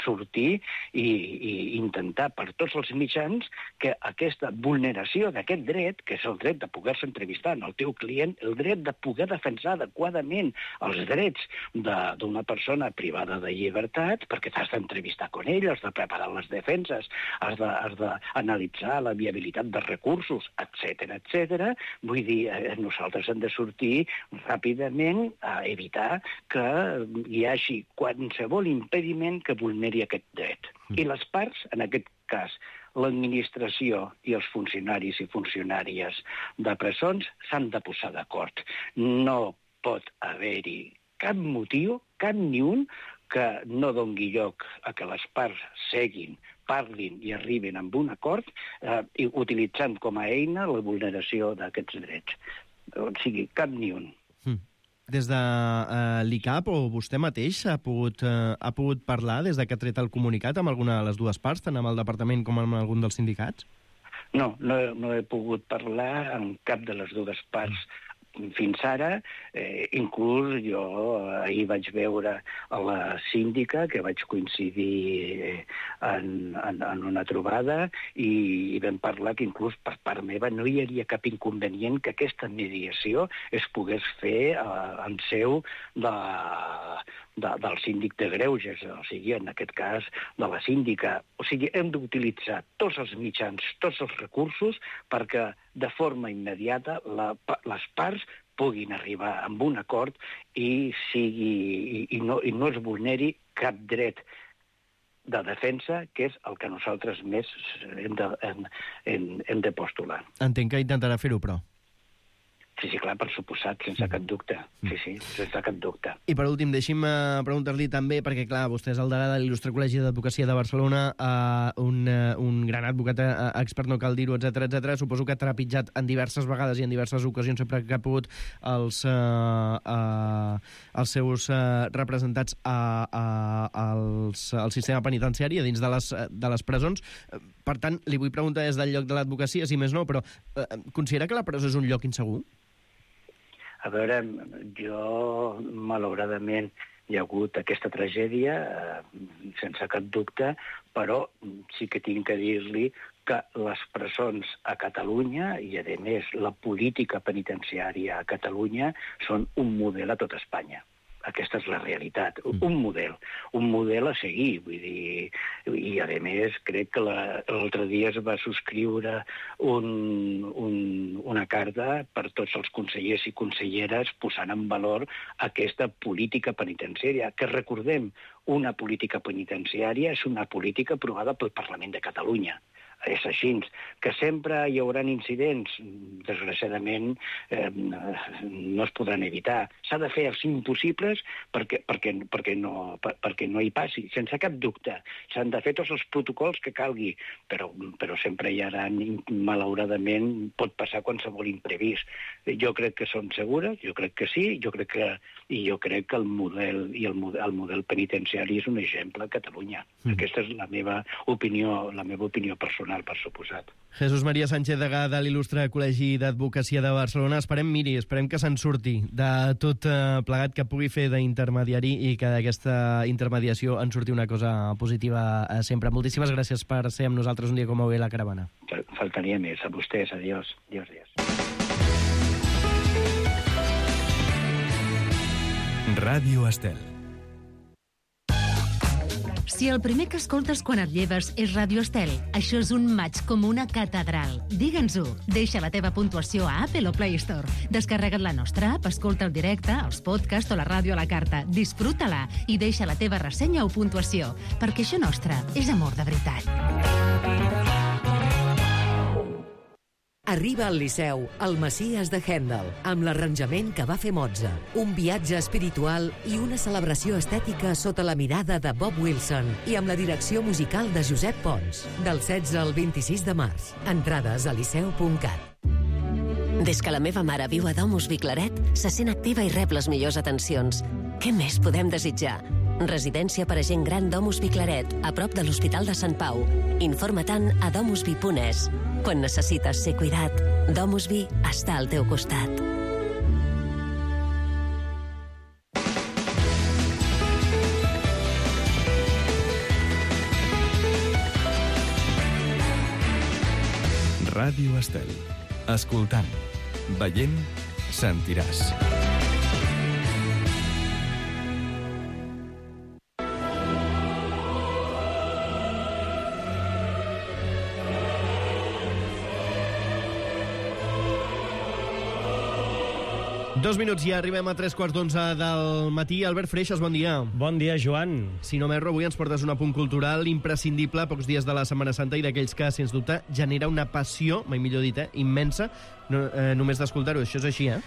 sortir i, i intentar per tots els mitjans que aquesta vulneració d'aquest dret, que és el dret de poder-se entrevistar en el teu client, el dret de poder defensar adequadament els drets d'una persona privada de llibertat, perquè t'has d'entrevistar amb ell, has de preparar les defenses, has d'analitzar la viabilitat dels recursos, etcètera, etcètera. Vull dir, eh, nosaltres hem de sortir ràpidament a evitar que hi hagi qualsevol impediment que vulneri aquest dret. I les parts, en aquest cas, l'administració i els funcionaris i funcionàries de presons s'han de posar d'acord. No pot haver-hi cap motiu, cap ni un, que no doni lloc a que les parts seguin, parlin i arribin amb un acord, eh, utilitzant com a eina la vulneració d'aquests drets. O sigui, cap ni un. Mm. Des de uh, l'I C A P o vostè mateix ha pogut, uh, ha pogut parlar des de que ha tret el comunicat amb alguna de les dues parts, tant amb el departament com amb algun dels sindicats? No, no, no he pogut parlar amb cap de les dues parts fins ara. Eh, inclús jo ahir vaig veure a la síndica, que vaig coincidir en, en, en una trobada, i, i vam parlar que inclús per part meva no hi hauria cap inconvenient que aquesta mediació es pogués fer eh, en seu de, de, del síndic de Greuges, o sigui, en aquest cas, de la síndica. O sigui, hem d'utilitzar tots els mitjans, tots els recursos, perquè de forma immediata la, les parts puguin arribar a un acord i, sigui, i, i, no, i no es vulneri cap dret de defensa, que és el que nosaltres més hem de, hem, hem, hem de postular. Entenc que intentarà fer-ho, però. Sí, sí, clar, per suposat, sense cap dubte. Sí, sí, sense cap dubte. I per últim, deixi'm uh, preguntar-li també, perquè clar, vostè és el degà de l'Il·lustre Col·legi d'Advocacia de Barcelona, uh, un, uh, un gran advocat uh, expert, no cal dir-ho, etcètera, etcètera. Suposo que ha trepitjat en diverses vegades i en diverses ocasions, sempre que ha pogut, els, uh, uh, els seus uh, representats a, a, als, al sistema penitenciari, a dins de les, de les presons. Per tant, li vull preguntar des del lloc de l'advocacia, si més no, però uh, considera que la presó és un lloc insegur? A veure, jo, malauradament, hi ha hagut aquesta tragèdia, eh, sense cap dubte, però sí que tinc que dir-li que les presons a Catalunya, i a més la política penitenciària a Catalunya, són un model a tot Espanya. Aquesta és la realitat, un model, un model a seguir, vull dir, i a més crec que l'altre dia es va subscriure un, un, una carta per tots els consellers i conselleres posant en valor aquesta política penitenciària, que recordem, una política penitenciària és una política aprovada pel Parlament de Catalunya. És així, que sempre hi haurà incidents, desgraciadament eh, no es podran evitar. S'ha de fer els impossibles perquè, perquè, perquè, no, per, perquè no hi passi, sense cap dubte. S'han de fer tots els protocols que calgui, però, però sempre hi haurà, malauradament, pot passar qualsevol imprevist. Jo crec que són segures, jo crec que sí, jo crec que, i jo crec que el model, i el model, el model penitenciari és un exemple a Catalunya. Mm. Aquesta és la meva opinió, la meva opinió personal, per suposat. Jesús María Sánchez, degà de l'Il·lustre Col·legi d'Advocacia de Barcelona. Esperem, miri, esperem que se'n surti de tot eh, plegat, que pugui fer d'intermediari i que d'aquesta intermediació en surti una cosa positiva eh, sempre. Moltíssimes gràcies per ser amb nosaltres un dia com avui a la Caravana. Faltaria més. A vostès. Adiós. Adiós, adiós. Ràdio Estel. Si el primer que escoltes quan et lleves és Ràdio Estel, això és un maig com una catedral. Digue'ns-ho. Deixa la teva puntuació a Apple o Play Store. Descarrega't la nostra app, escolta el directe, els podcasts o la ràdio a la carta. Disfruta-la i deixa la teva ressenya o puntuació, perquè això nostre és amor de veritat. Arriba al Liceu, el Messies de Händel, amb l'arranjament que va fer Mozart. Un viatge espiritual i una celebració estètica sota la mirada de Bob Wilson i amb la direcció musical de Josep Pons. Del setze al vint-i-sis de març. Entrades a liceu punt cat. Des que la meva mare viu a Domus Viclaret, se sent activa i rep les millors atencions. Què més podem desitjar? Residència per a gent gran Domus Viclaret, a prop de l'Hospital de Sant Pau. Informa-te'n a domusvi punt es. Quan necessites ser cuidat, Domusvi està al teu costat. Ràdio Estel. Escoltant, veient, sentiràs. Dos minuts i arribem a tres quarts d'onze del matí. Albert Freixas, bon dia. Bon dia, Joan. Si no m'erro, avui ens portes un apunt cultural imprescindible a pocs dies de la Setmana Santa i d'aquells que, sens dubte, genera una passió, mai millor dit, eh, immensa, no, eh, només d'escoltar-ho. Això és així, eh?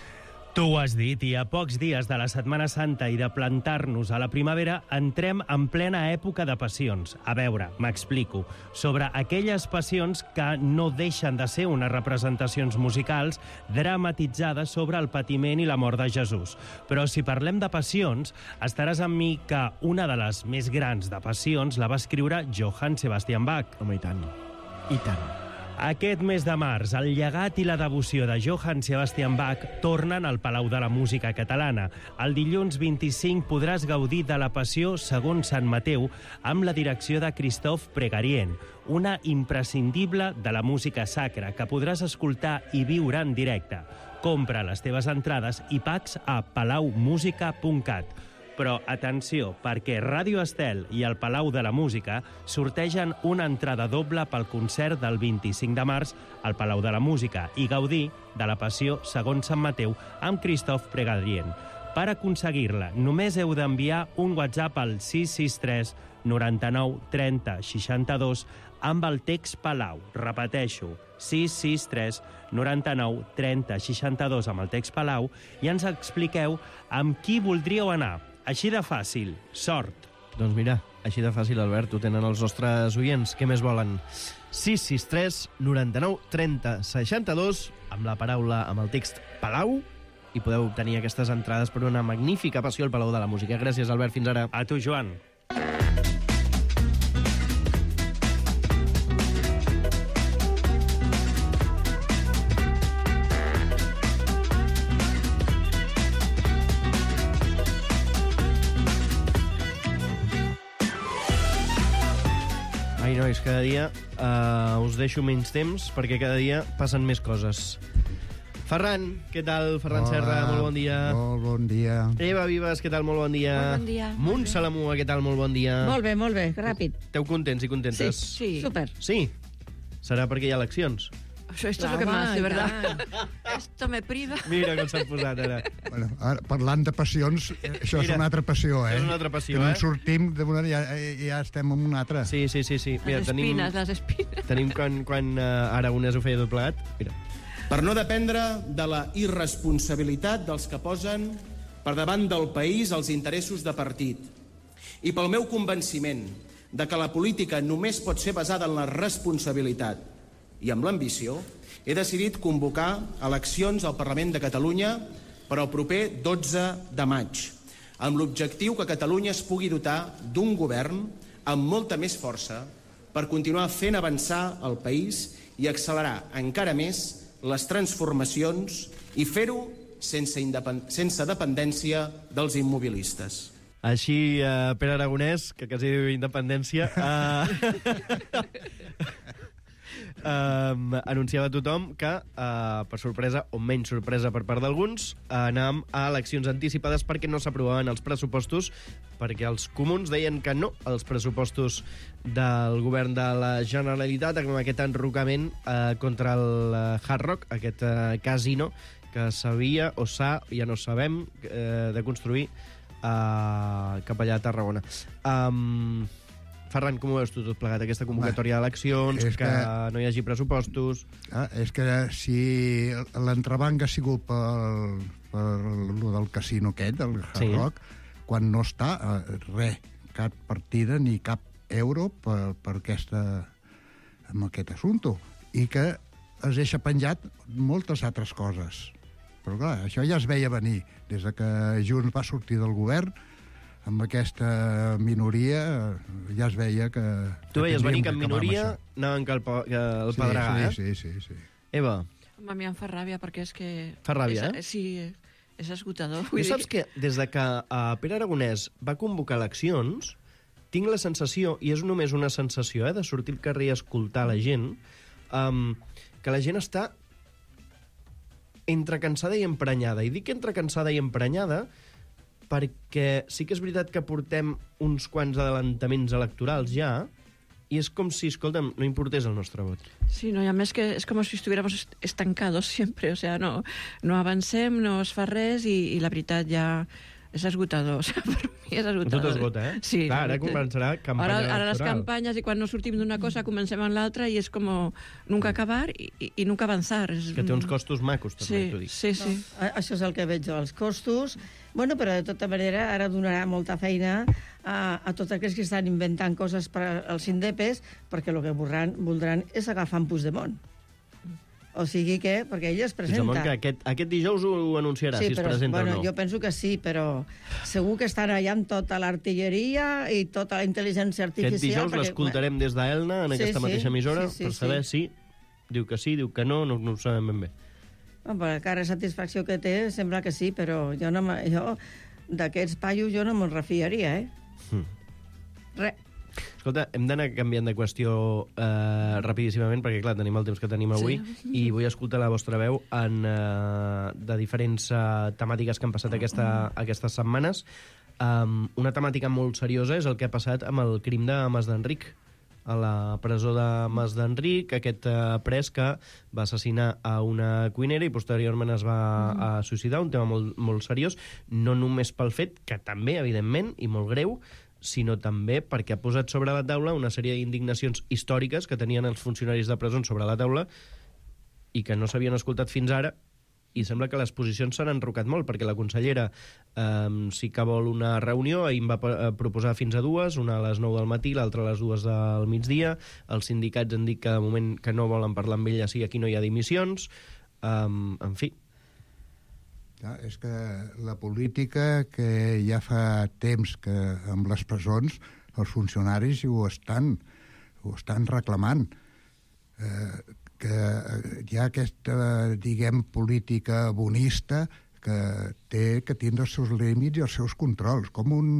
Tu ho has dit, i a pocs dies de la Setmana Santa i de plantar-nos a la primavera, entrem en plena època de passions. A veure, m'explico. Sobre aquelles passions que no deixen de ser unes representacions musicals dramatitzades sobre el patiment i la mort de Jesús. Però si parlem de passions, estaràs amb mi que una de les més grans de passions la va escriure Johann Sebastian Bach. Home, i tant. I tant. Aquest mes de març, el llegat i la devoció de Johann Sebastian Bach tornen al Palau de la Música Catalana. El dilluns vint-i-cinc podràs gaudir de la Passió segons Sant Mateu amb la direcció de Christophe Pregarien, una imprescindible de la música sacra que podràs escoltar i viure en directe. Compra les teves entrades i pags a palau música punt cat. Però, atenció, perquè Ràdio Estel i el Palau de la Música sortegen una entrada doble pel concert del vint-i-cinc de març al Palau de la Música i gaudir de la Passió segons Sant Mateu amb Christophe Pregadrien. Per aconseguir-la, només heu d'enviar un WhatsApp al sis sis tres noranta-nou trenta seixanta-dos amb el text Palau. Repeteixo, sis sis tres noranta-nou trenta seixanta-dos amb el text Palau i ens expliqueu amb qui voldríeu anar. Així de fàcil. Sort. Doncs mira, així de fàcil, Albert, ho tenen els nostres oients. Què més volen? sis sis tres noranta-nou trenta seixanta-dos amb la paraula, amb el text Palau, i podeu obtenir aquestes entrades per una magnífica passió al Palau de la Música. Gràcies, Albert, fins ara. A tu, Joan. Ai, nois, cada dia uh, us deixo menys temps perquè cada dia passen més coses. Ferran, què tal? Ferran Hola, Serra, molt bon dia. Molt bon dia. Eva Vives, què tal? Molt bon dia. Molt bon dia. Munt Salamua, què tal? Molt bon dia. Molt bé, molt bé, ràpid. Esteu contents i contentes? Sí, sí. Súper. Sí? Serà perquè hi ha eleccions? Això, esto es lo que más, de verdad. Esto me priva. Mira com s'han posat ara. Bueno, ara, parlant de passions, això Mira, és una altra passió, eh? és una altra passió, que no eh? en sortim, d'una, ja, ja estem en una altra. Sí, sí, sí. sí. Mira, Les tenim, espines, les espines. Tenim quan, quan uh, Aragonès ho feia tot plegat. Mira. Per no dependre de la irresponsabilitat dels que posen per davant del país els interessos de partit. I pel meu convenciment de que la política només pot ser basada en la responsabilitat i amb l'ambició, he decidit convocar eleccions al Parlament de Catalunya per al proper dotze de maig, amb l'objectiu que Catalunya es pugui dotar d'un govern amb molta més força per continuar fent avançar el país i accelerar encara més les transformacions i fer-ho sense, independ... sense dependència dels immobilistes. Així, uh, Pere Aragonès, que quasi diu independència, uh, uh, anunciava a tothom que, uh, per sorpresa, o menys sorpresa per part d'alguns, uh, anàvem a eleccions anticipades perquè no s'aprovaven els pressupostos, perquè els comuns deien que no als pressupostos del govern de la Generalitat, amb aquest enrocament uh, contra el uh, Hard Rock, aquest uh, casino que s'havia, o s'ha, ja no sabem, uh, de construir Uh, cap allà a Tarragona. Um, Ferran, com ho veus tu tot plegat, aquesta convocatòria d'eleccions, que, que no hi hagi pressupostos? Ah, és que si l'entrebanc ha sigut per, per lo del casino aquest, el Hard Sí. Rock, quan no està, eh, res, cap partida ni cap euro per, per aquesta, amb aquest assumpte. I que es deixa penjat moltes altres coses. Però clar, això ja es veia venir. Des de que Junts va sortir del govern, amb aquesta minoria ja es veia que... Tu que veies venir que en acabar amb minoria això. anaven que el, po- que el Sí, pedregar, sí, eh? sí, sí, sí. Eva, Home, a mi em fa ràbia perquè és que... Fa ràbia, és, eh? Sí, és esgotador. tu saps que des de que uh, Pere Aragonès va convocar eleccions, tinc la sensació, i és només una sensació, eh, de sortir al carrer i escoltar la gent, um, que la gent està entre cansada i emprenyada. I dic entre cansada i emprenyada perquè sí que és veritat que portem uns quants adelantaments electorals ja, i és com si, escolta'm, no importés el nostre vot. Sí, no, i a més que és com si estuviéramos est- estancados sempre, o sea, no, no avancem, no es fa res i, i la veritat ja és esgotador, o sea, per mi és esgotador. Tot esgota, eh? Sí. Clar, ara començarà campanya ara, ara les electoral. campanyes, i quan no sortim d'una cosa comencem en l'altra i és com nunca acabar i, i, i nunca avançar. És... Que té uns costos macos, també, Sí, t'ho dic. sí, sí. No, això és el que veig jo, els costos. Bueno, però de tota manera ara donarà molta feina a, a tots aquells que estan inventant coses per als indepes, perquè el que voldran, voldran és agafar en Puigdemont. O sigui que, perquè ell es presenta... Puigdemont, que aquest, aquest dijous ho anunciarà, Sí, si es però, presenta bueno, o no. jo penso que sí, però segur que estan allà amb tota l'artilleria i tota la intel·ligència artificial. Aquest dijous perquè, l'escoltarem des d'Elna, en Sí, aquesta sí, mateixa emissora, sí, sí, per saber sí. si diu que sí, diu que no, no, no ho sabem ben bé. Bueno, per la cara de satisfacció que té, sembla que sí, però jo, no me- jo d'aquests paios jo no me'n refiaria, eh? Mm. Res. Escolta, hem d'anar canviant de qüestió eh, rapidíssimament, perquè, clar, tenim el temps que tenim avui, Sí. i vull escoltar la vostra veu en, eh, de diferents eh, temàtiques que han passat aquesta, aquestes setmanes. Um, una temàtica molt seriosa és el que ha passat amb el crim de Mas d'Enric, a la presó de Mas d'Enric, aquest eh, pres que va assassinar a una cuinera i posteriorment es va Mm. a suïcidar, un tema molt, molt seriós, no només pel fet, que també, evidentment, i molt greu, sinó també perquè ha posat sobre la taula una sèrie d'indignacions històriques que tenien els funcionaris de presons sobre la taula i que no s'havien escoltat fins ara, i sembla que les posicions s'han enrocat molt, perquè la consellera eh, sí que vol una reunió, ahir em va proposar fins a dues, una a les nou del matí, l'altra a les dues del migdia, els sindicats han dit que de moment que no volen parlar amb ella, sí, aquí no hi ha dimissions, eh, en fi. Ja, és que la política que ja fa temps que amb les presons els funcionaris ho estan, ho estan reclamant. Eh, que hi ha aquesta, diguem, política bonista que té que tindre els seus límits i els seus controls. Com un,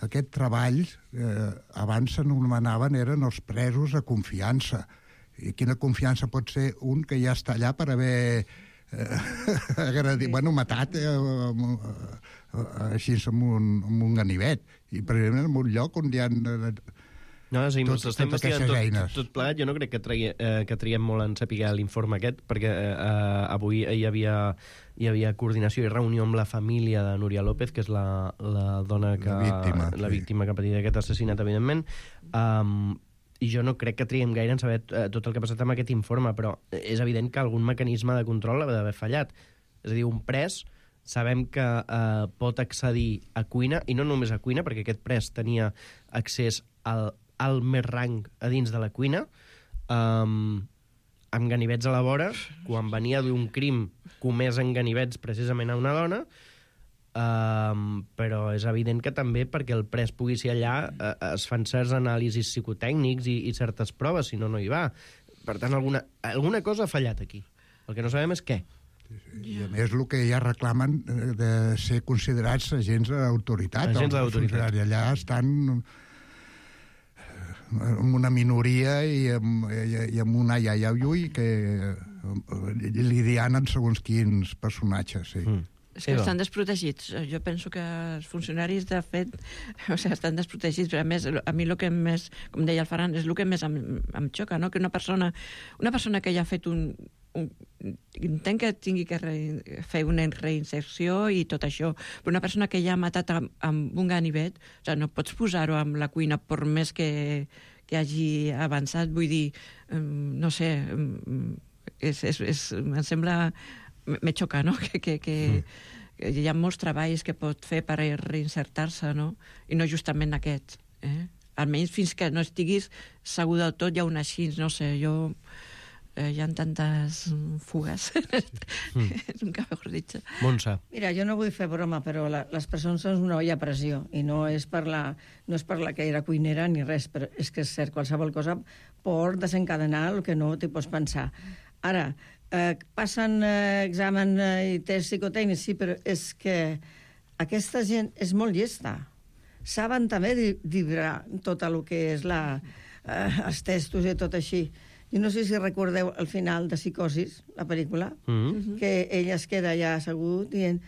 aquest treball, eh, abans s'anomenaven, eren els presos de confiança. I quina confiança pot ser un que ja està allà per haver eh, agradit, bueno, matat eh, eh, així en un, en un ganivet. I precisament en un lloc on hi ha... No, sí, tot, estem investigant tot, tot plegat. Jo no crec que, tregui, eh, que triguem molt en saber l'informe aquest, perquè eh, avui hi havia, hi havia coordinació i reunió amb la família de Núria López, que és la, la dona que... La víctima, la sí. víctima que ha patit aquest assassinat, evidentment. Um, I jo no crec que triguem gaire en saber eh, tot el que ha passat amb aquest informe, però és evident que algun mecanisme de control ha d'haver fallat. És a dir, un pres... Sabem que eh, pot accedir a cuina, i no només a cuina, perquè aquest pres tenia accés al al més rang a dins de la cuina, um, amb ganivets a la vora, quan venia d'un crim comès en ganivets precisament a una dona, um, però és evident que també perquè el pres pugui ser allà uh, es fan certs anàlisis psicotècnics i, i certes proves, si no, no hi va. Per tant, alguna, alguna cosa ha fallat aquí. El que no sabem és què. I a més el que ja reclamen de ser considerats agents d'autoritat. Agents d'autoritat. I allà estan amb una minoria i amb, i amb una iaia ui que lidianen segons quins personatges, sí. Mm. És que estan desprotegits. Jo penso que els funcionaris, de fet, o sigui, estan desprotegits. Però a més, a mi el que més, com deia el Ferran, és el que més em, em xoca, no? Que una persona, una persona que ja ha fet un... un entenc que tingui que re, fer una reinserció i tot això, però una persona que ja ha matat amb, amb un ganivet, o sigui, no pots posar-ho amb la cuina per més que, que hagi avançat. Vull dir, um, no sé, um, és, és, és, em sembla... Me xoca, no?, que, que, que, mm. que hi ha molts treballs que pot fer per reinsertar-se, no?, i no justament aquest. Eh? Almenys fins que no estiguis segur del tot, hi ha un així, no sé, jo... Eh, hi ha tantes fugues. Mm. Nunca mejor dicho. Montse. Mira, jo no vull fer broma, però la, les persones són una olla a pressió, i no és per la, no és per la que era cuinera ni res, però és que és cert, qualsevol cosa pot desencadenar el que no t'hi pots pensar. Ara, eh, passen eh, examen eh, i test psicotècnics, sí, però és que aquesta gent és molt llesta. Saben també dibrar tot el que és la, eh, els testos i tot així. Jo no sé si recordeu el final de Psicosis, la pel·lícula, mm-hmm. que ell es queda allà assegut dient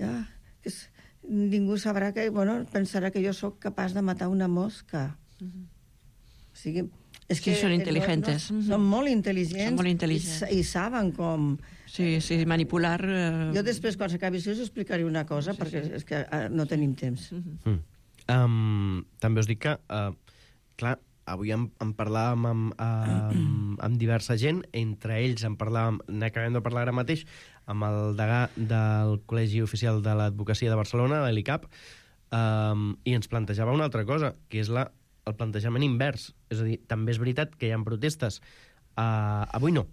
ah, que és, ningú sabrà que... Bueno, pensarà que jo sóc capaç de matar una mosca. Mm-hmm. O sigui... És sí, que són intel·ligents. No, no, són molt intel·ligents, són molt intel·ligents. I, i saben com... Sí, sí, manipular... Uh... Jo després, quan s'acabi això, us explicaré una cosa, sí, perquè sí. és que uh, no tenim temps. Mm. Um, també us dic que, uh, clar, avui en, en parlàvem amb, amb, amb diversa gent, entre ells en parlàvem, n'acabem de parlar ara mateix, amb el degà del Col·legi Oficial de l'Advocacia de Barcelona, l'E L I C A P, um, i ens plantejava una altra cosa, que és la, el plantejament invers. És a dir, també és veritat que hi ha protestes. Uh, avui no.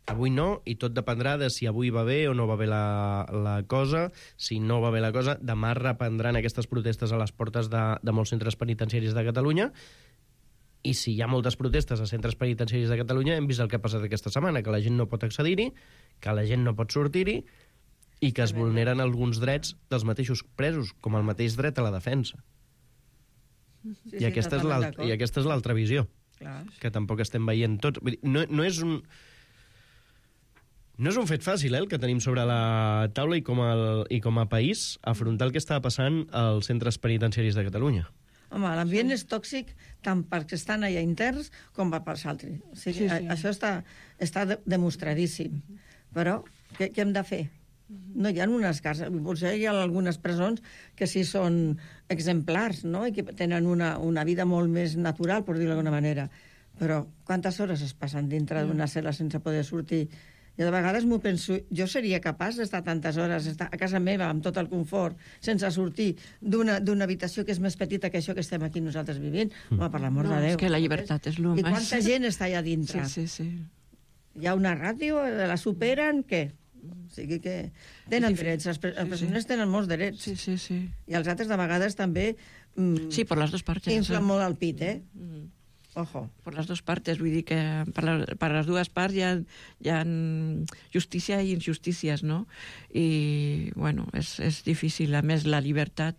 Avui no, i tot dependrà de si avui va bé o no va bé la, la cosa. Si no va bé la cosa, demà reprendran aquestes protestes a les portes de, de molts centres penitenciaris de Catalunya. I si hi ha moltes protestes a centres penitenciaris de Catalunya, hem vist el que ha passat aquesta setmana, que la gent no pot accedir-hi, que la gent no pot sortir-hi i que es vulneren alguns drets dels mateixos presos, com el mateix dret a la defensa. Sí, I, aquesta sí, I aquesta és l'altra visió, clar, que tampoc estem veient tots. Vull dir, no, no és un... No és un fet fàcil, eh, el que tenim sobre la taula i com, el, i com a país afrontar el que està passant als centres penitenciaris de Catalunya. Home, l'ambient és tòxic tant perquè estan allà interns com per als altres. O sigui, sí, sí. Això està, està demostradíssim. Però què, què hem de fer? No hi ha unes cases, potser hi ha algunes presons que sí són exemplars, no?, i que tenen una, una vida molt més natural, per dir-ho d'alguna manera. Però quantes hores es passen dintre d'una cel·la sense poder sortir? Jo de vegades m'ho penso, jo seria capaç d'estar tantes hores estar a casa meva amb tot el confort, sense sortir d'una habitació que és més petita que això que estem aquí nosaltres vivint? Home, per l'amor no, de Déu. És que la llibertat és el més... I quanta gent està allà dintre? Sí, sí, sí. Hi ha una ràdio, la superen, què? O sigui que tenen drets, els presoners tenen molts drets. Sí, sí, sí. I els altres de vegades també... Mm, sí, per les dues parts. Inflen molt el pit, eh? Mm. Ojo. Per les dues parts, vull dir que per, la, per les dues parts hi ha, hi ha justícia i injustícies, no? I, bueno, és, és difícil. A més, la llibertat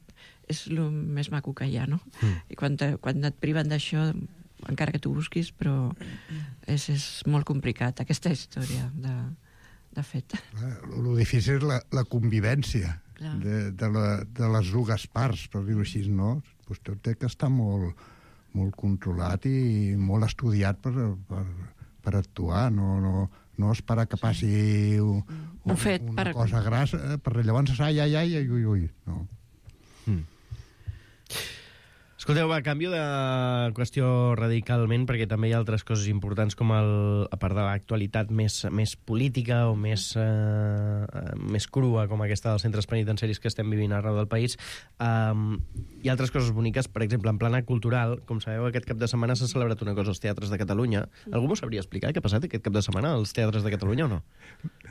és el més maco que hi ha, no? Mm. I quan, te, quan et priven d'això, encara que tu busquis, però és, és molt complicat, aquesta història, de, de fet. El difícil és la, la convivència de, de, la, de les dues parts, per dir-ho així, no? Pues tot té que estar molt... molt controlat i molt estudiat per, per, per actuar, no, no, no esperar que passi un, un fet, una per... cosa grassa, per llavors, ai, ai, ai, ui, ui, no. Mm. Escolteu, va, canvio de qüestió radicalment, perquè també hi ha altres coses importants, com el, a part de l'actualitat més, més política o més, eh, més crua, com aquesta dels centres penitenciaris que estem vivint arreu del país. Um, hi ha altres coses boniques, per exemple, en plana cultural, com sabeu, aquest cap de setmana s'ha celebrat una cosa als teatres de Catalunya. Algú m'ho sabria explicar què ha passat aquest cap de setmana als teatres de Catalunya o no?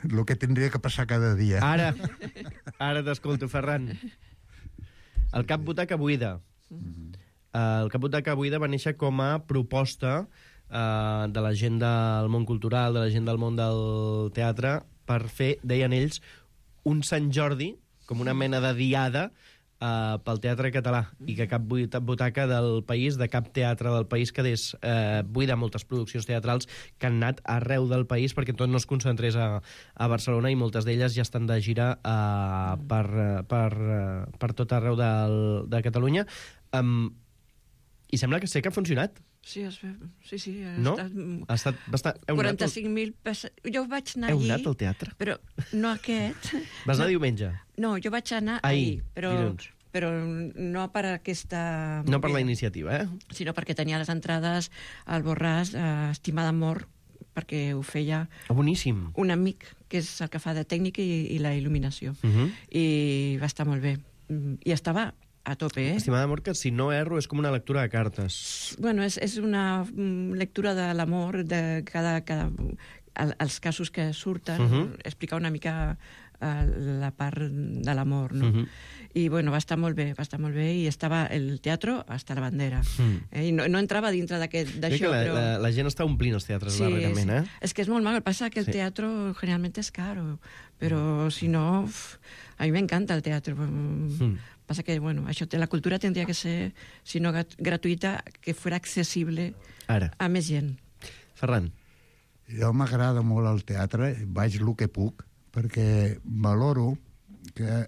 El que tindria que passar cada dia. Ara, ara t'escolto, Ferran. El Cap Butaca Buida. Mm-hmm. Uh, el Cap Butaca Buida va néixer com a proposta uh, de la gent del món cultural, de la gent del món del teatre, per fer, deien ells, un Sant Jordi, com una mena de diada uh, pel teatre català, i que cap butaca del país, de cap teatre del país quedés uh, buida, moltes produccions teatrals que han anat arreu del país perquè tot no es concentrés a, a Barcelona, i moltes d'elles ja estan de gira uh, per, per, uh, per tot arreu del, de Catalunya. Um, I sembla que sé que ha funcionat. Sí, es ve... sí, sí. Ha no? estat... Ha estat bastant... quaranta-cinc mil pes... Jo vaig anar Heu allí... Heu anat al teatre? Però no aquest. Vas anar no, diumenge? No, jo vaig anar ahir, ahir, però, però no per aquesta... No per la iniciativa, eh? Sinó perquè tenia les entrades al Borràs, eh, Estimada Amor, perquè ho feia... Oh, boníssim. Un amic, que és el que fa de tècnica i, i la il·luminació. Uh -huh. I va estar molt bé. I estava... a tope, eh? Estimada Amor, que si no erro és com una lectura de cartes. Bueno, és, és una lectura de l'amor, de cada, cada, els casos que surten, uh -huh. explicar una mica uh, la part de l'amor, no? Uh -huh. I, bueno, va estar molt bé, va estar molt bé, i estava el teatre hasta la bandera. Uh-huh. eh? I no, no entrava dintre d'això, la, però... La, la gent està omplint els teatres sí, largament, eh? És que és molt mal, passa que el sí. teatre generalment és caro, però si no... Uf, a mi m'encanta el teatre. Uh-huh. Passa que, bueno, això, la cultura tindria que ser, si no gratuïta, que fos accessible Ara. a més gent. Ferran. Jo m'agrada molt el teatre, vaig el que puc, perquè valoro que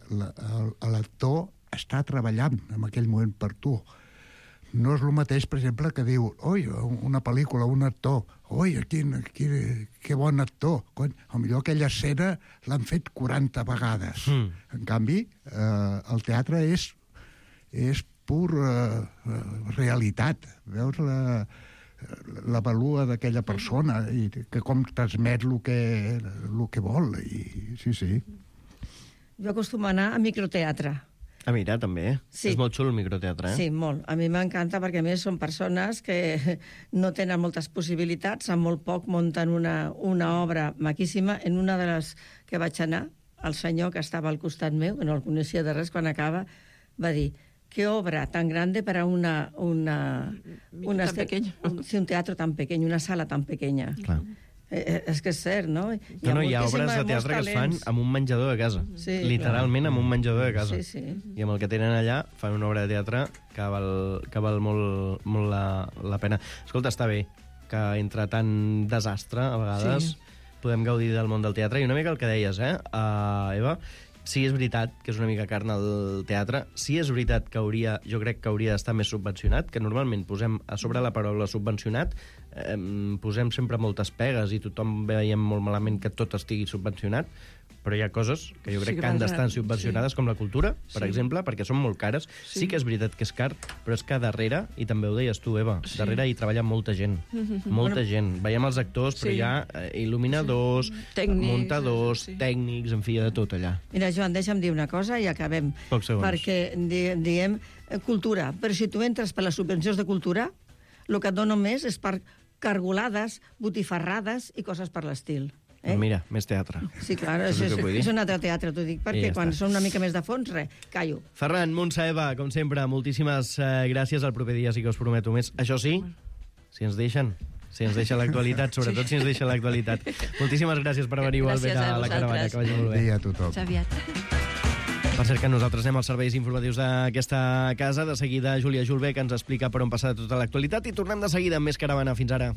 l'actor està treballant en aquell moment per tu. No és el mateix, per exemple, que diu, oi, una pel·lícula, un actor, oi, quin, quin, que bon actor. Quan, potser aquella escena l'han fet quaranta vegades. Mm. En canvi, eh, el teatre és, és pur eh, realitat. Veus la, la valua d'aquella persona i que com transmet el que, el que vol. I, sí, sí. Jo acostumo a anar a microteatre. Ah, mira, també. Sí. És molt xulo el microteatre, eh? Sí, molt. A mi m'encanta perquè, a més, són persones que no tenen moltes possibilitats, amb molt poc munten una, una obra maquíssima. En una de les que vaig anar, el senyor que estava al costat meu, que no el coneixia de res, quan acaba, va dir, qué obra tan grande para una... una, una tan pequeño. Un, sí, un teatro tan pequeño, una sala tan pequeña. Clar. Eh, és que és cert, no? Hi no, no, hi ha obres de teatre que es fan amb un menjador de casa. Sí, literalment clar. Amb un menjador de casa. Sí, sí. I amb el que tenen allà fan una obra de teatre que val, que val molt, molt la, la pena. Escolta, està bé que entre tant desastre, a vegades, sí. podem gaudir del món del teatre. I una mica el que deies, eh, uh, Eva? Sí, és veritat que és una mica carn al teatre. Sí, és veritat que hauria, jo crec que hauria d'estar més subvencionat, que normalment posem a sobre la paraula subvencionat, eh, posem sempre moltes pegues i tothom veiem molt malament que tot estigui subvencionat, però hi ha coses que jo crec Sí, que que han val- d'estar subvencionades, sí. com la cultura, per Sí. exemple, perquè són molt cares. Sí. Sí. que és veritat que és car, però és que darrere, i també ho deies tu, Eva, Sí. darrere hi treballa molta gent. Mhm. Molta Bueno, gent. Veiem els actors, però sí. hi ha eh, il·luminadors, Tècnics, muntadors, sí. tècnics, en fi, de tot allà. Mira, Joan, deixa'm dir una cosa i acabem. Pocs segons. Perquè di diem eh, cultura, però si tu entres per les subvencions de cultura, el que et donen més és per cargolades, botifarrades i coses per l'estil. Eh? Mira, més teatre. Sí, clar, Saps és, el és, que vull dir? és un altre teatre, t'ho dic, I perquè ja quan està. són una mica més de fons, res, callo. Ferran, Montse, Eva, com sempre, moltíssimes eh, gràcies. El proper dia sí que us prometo més. Això sí, si ens deixen, si ens deixa l'actualitat, sobretot si ens deixa l'actualitat. Moltíssimes gràcies per venir igualment Gràcies a a la caravana, vosaltres. que vagi molt Bon bé. dia a tothom. Fins aviat. Per cert que nosaltres anem als serveis informatius d'aquesta casa. De seguida, Júlia Julbé, que ens explica per on passa tota l'actualitat. I tornem de seguida amb més caravana. Fins ara.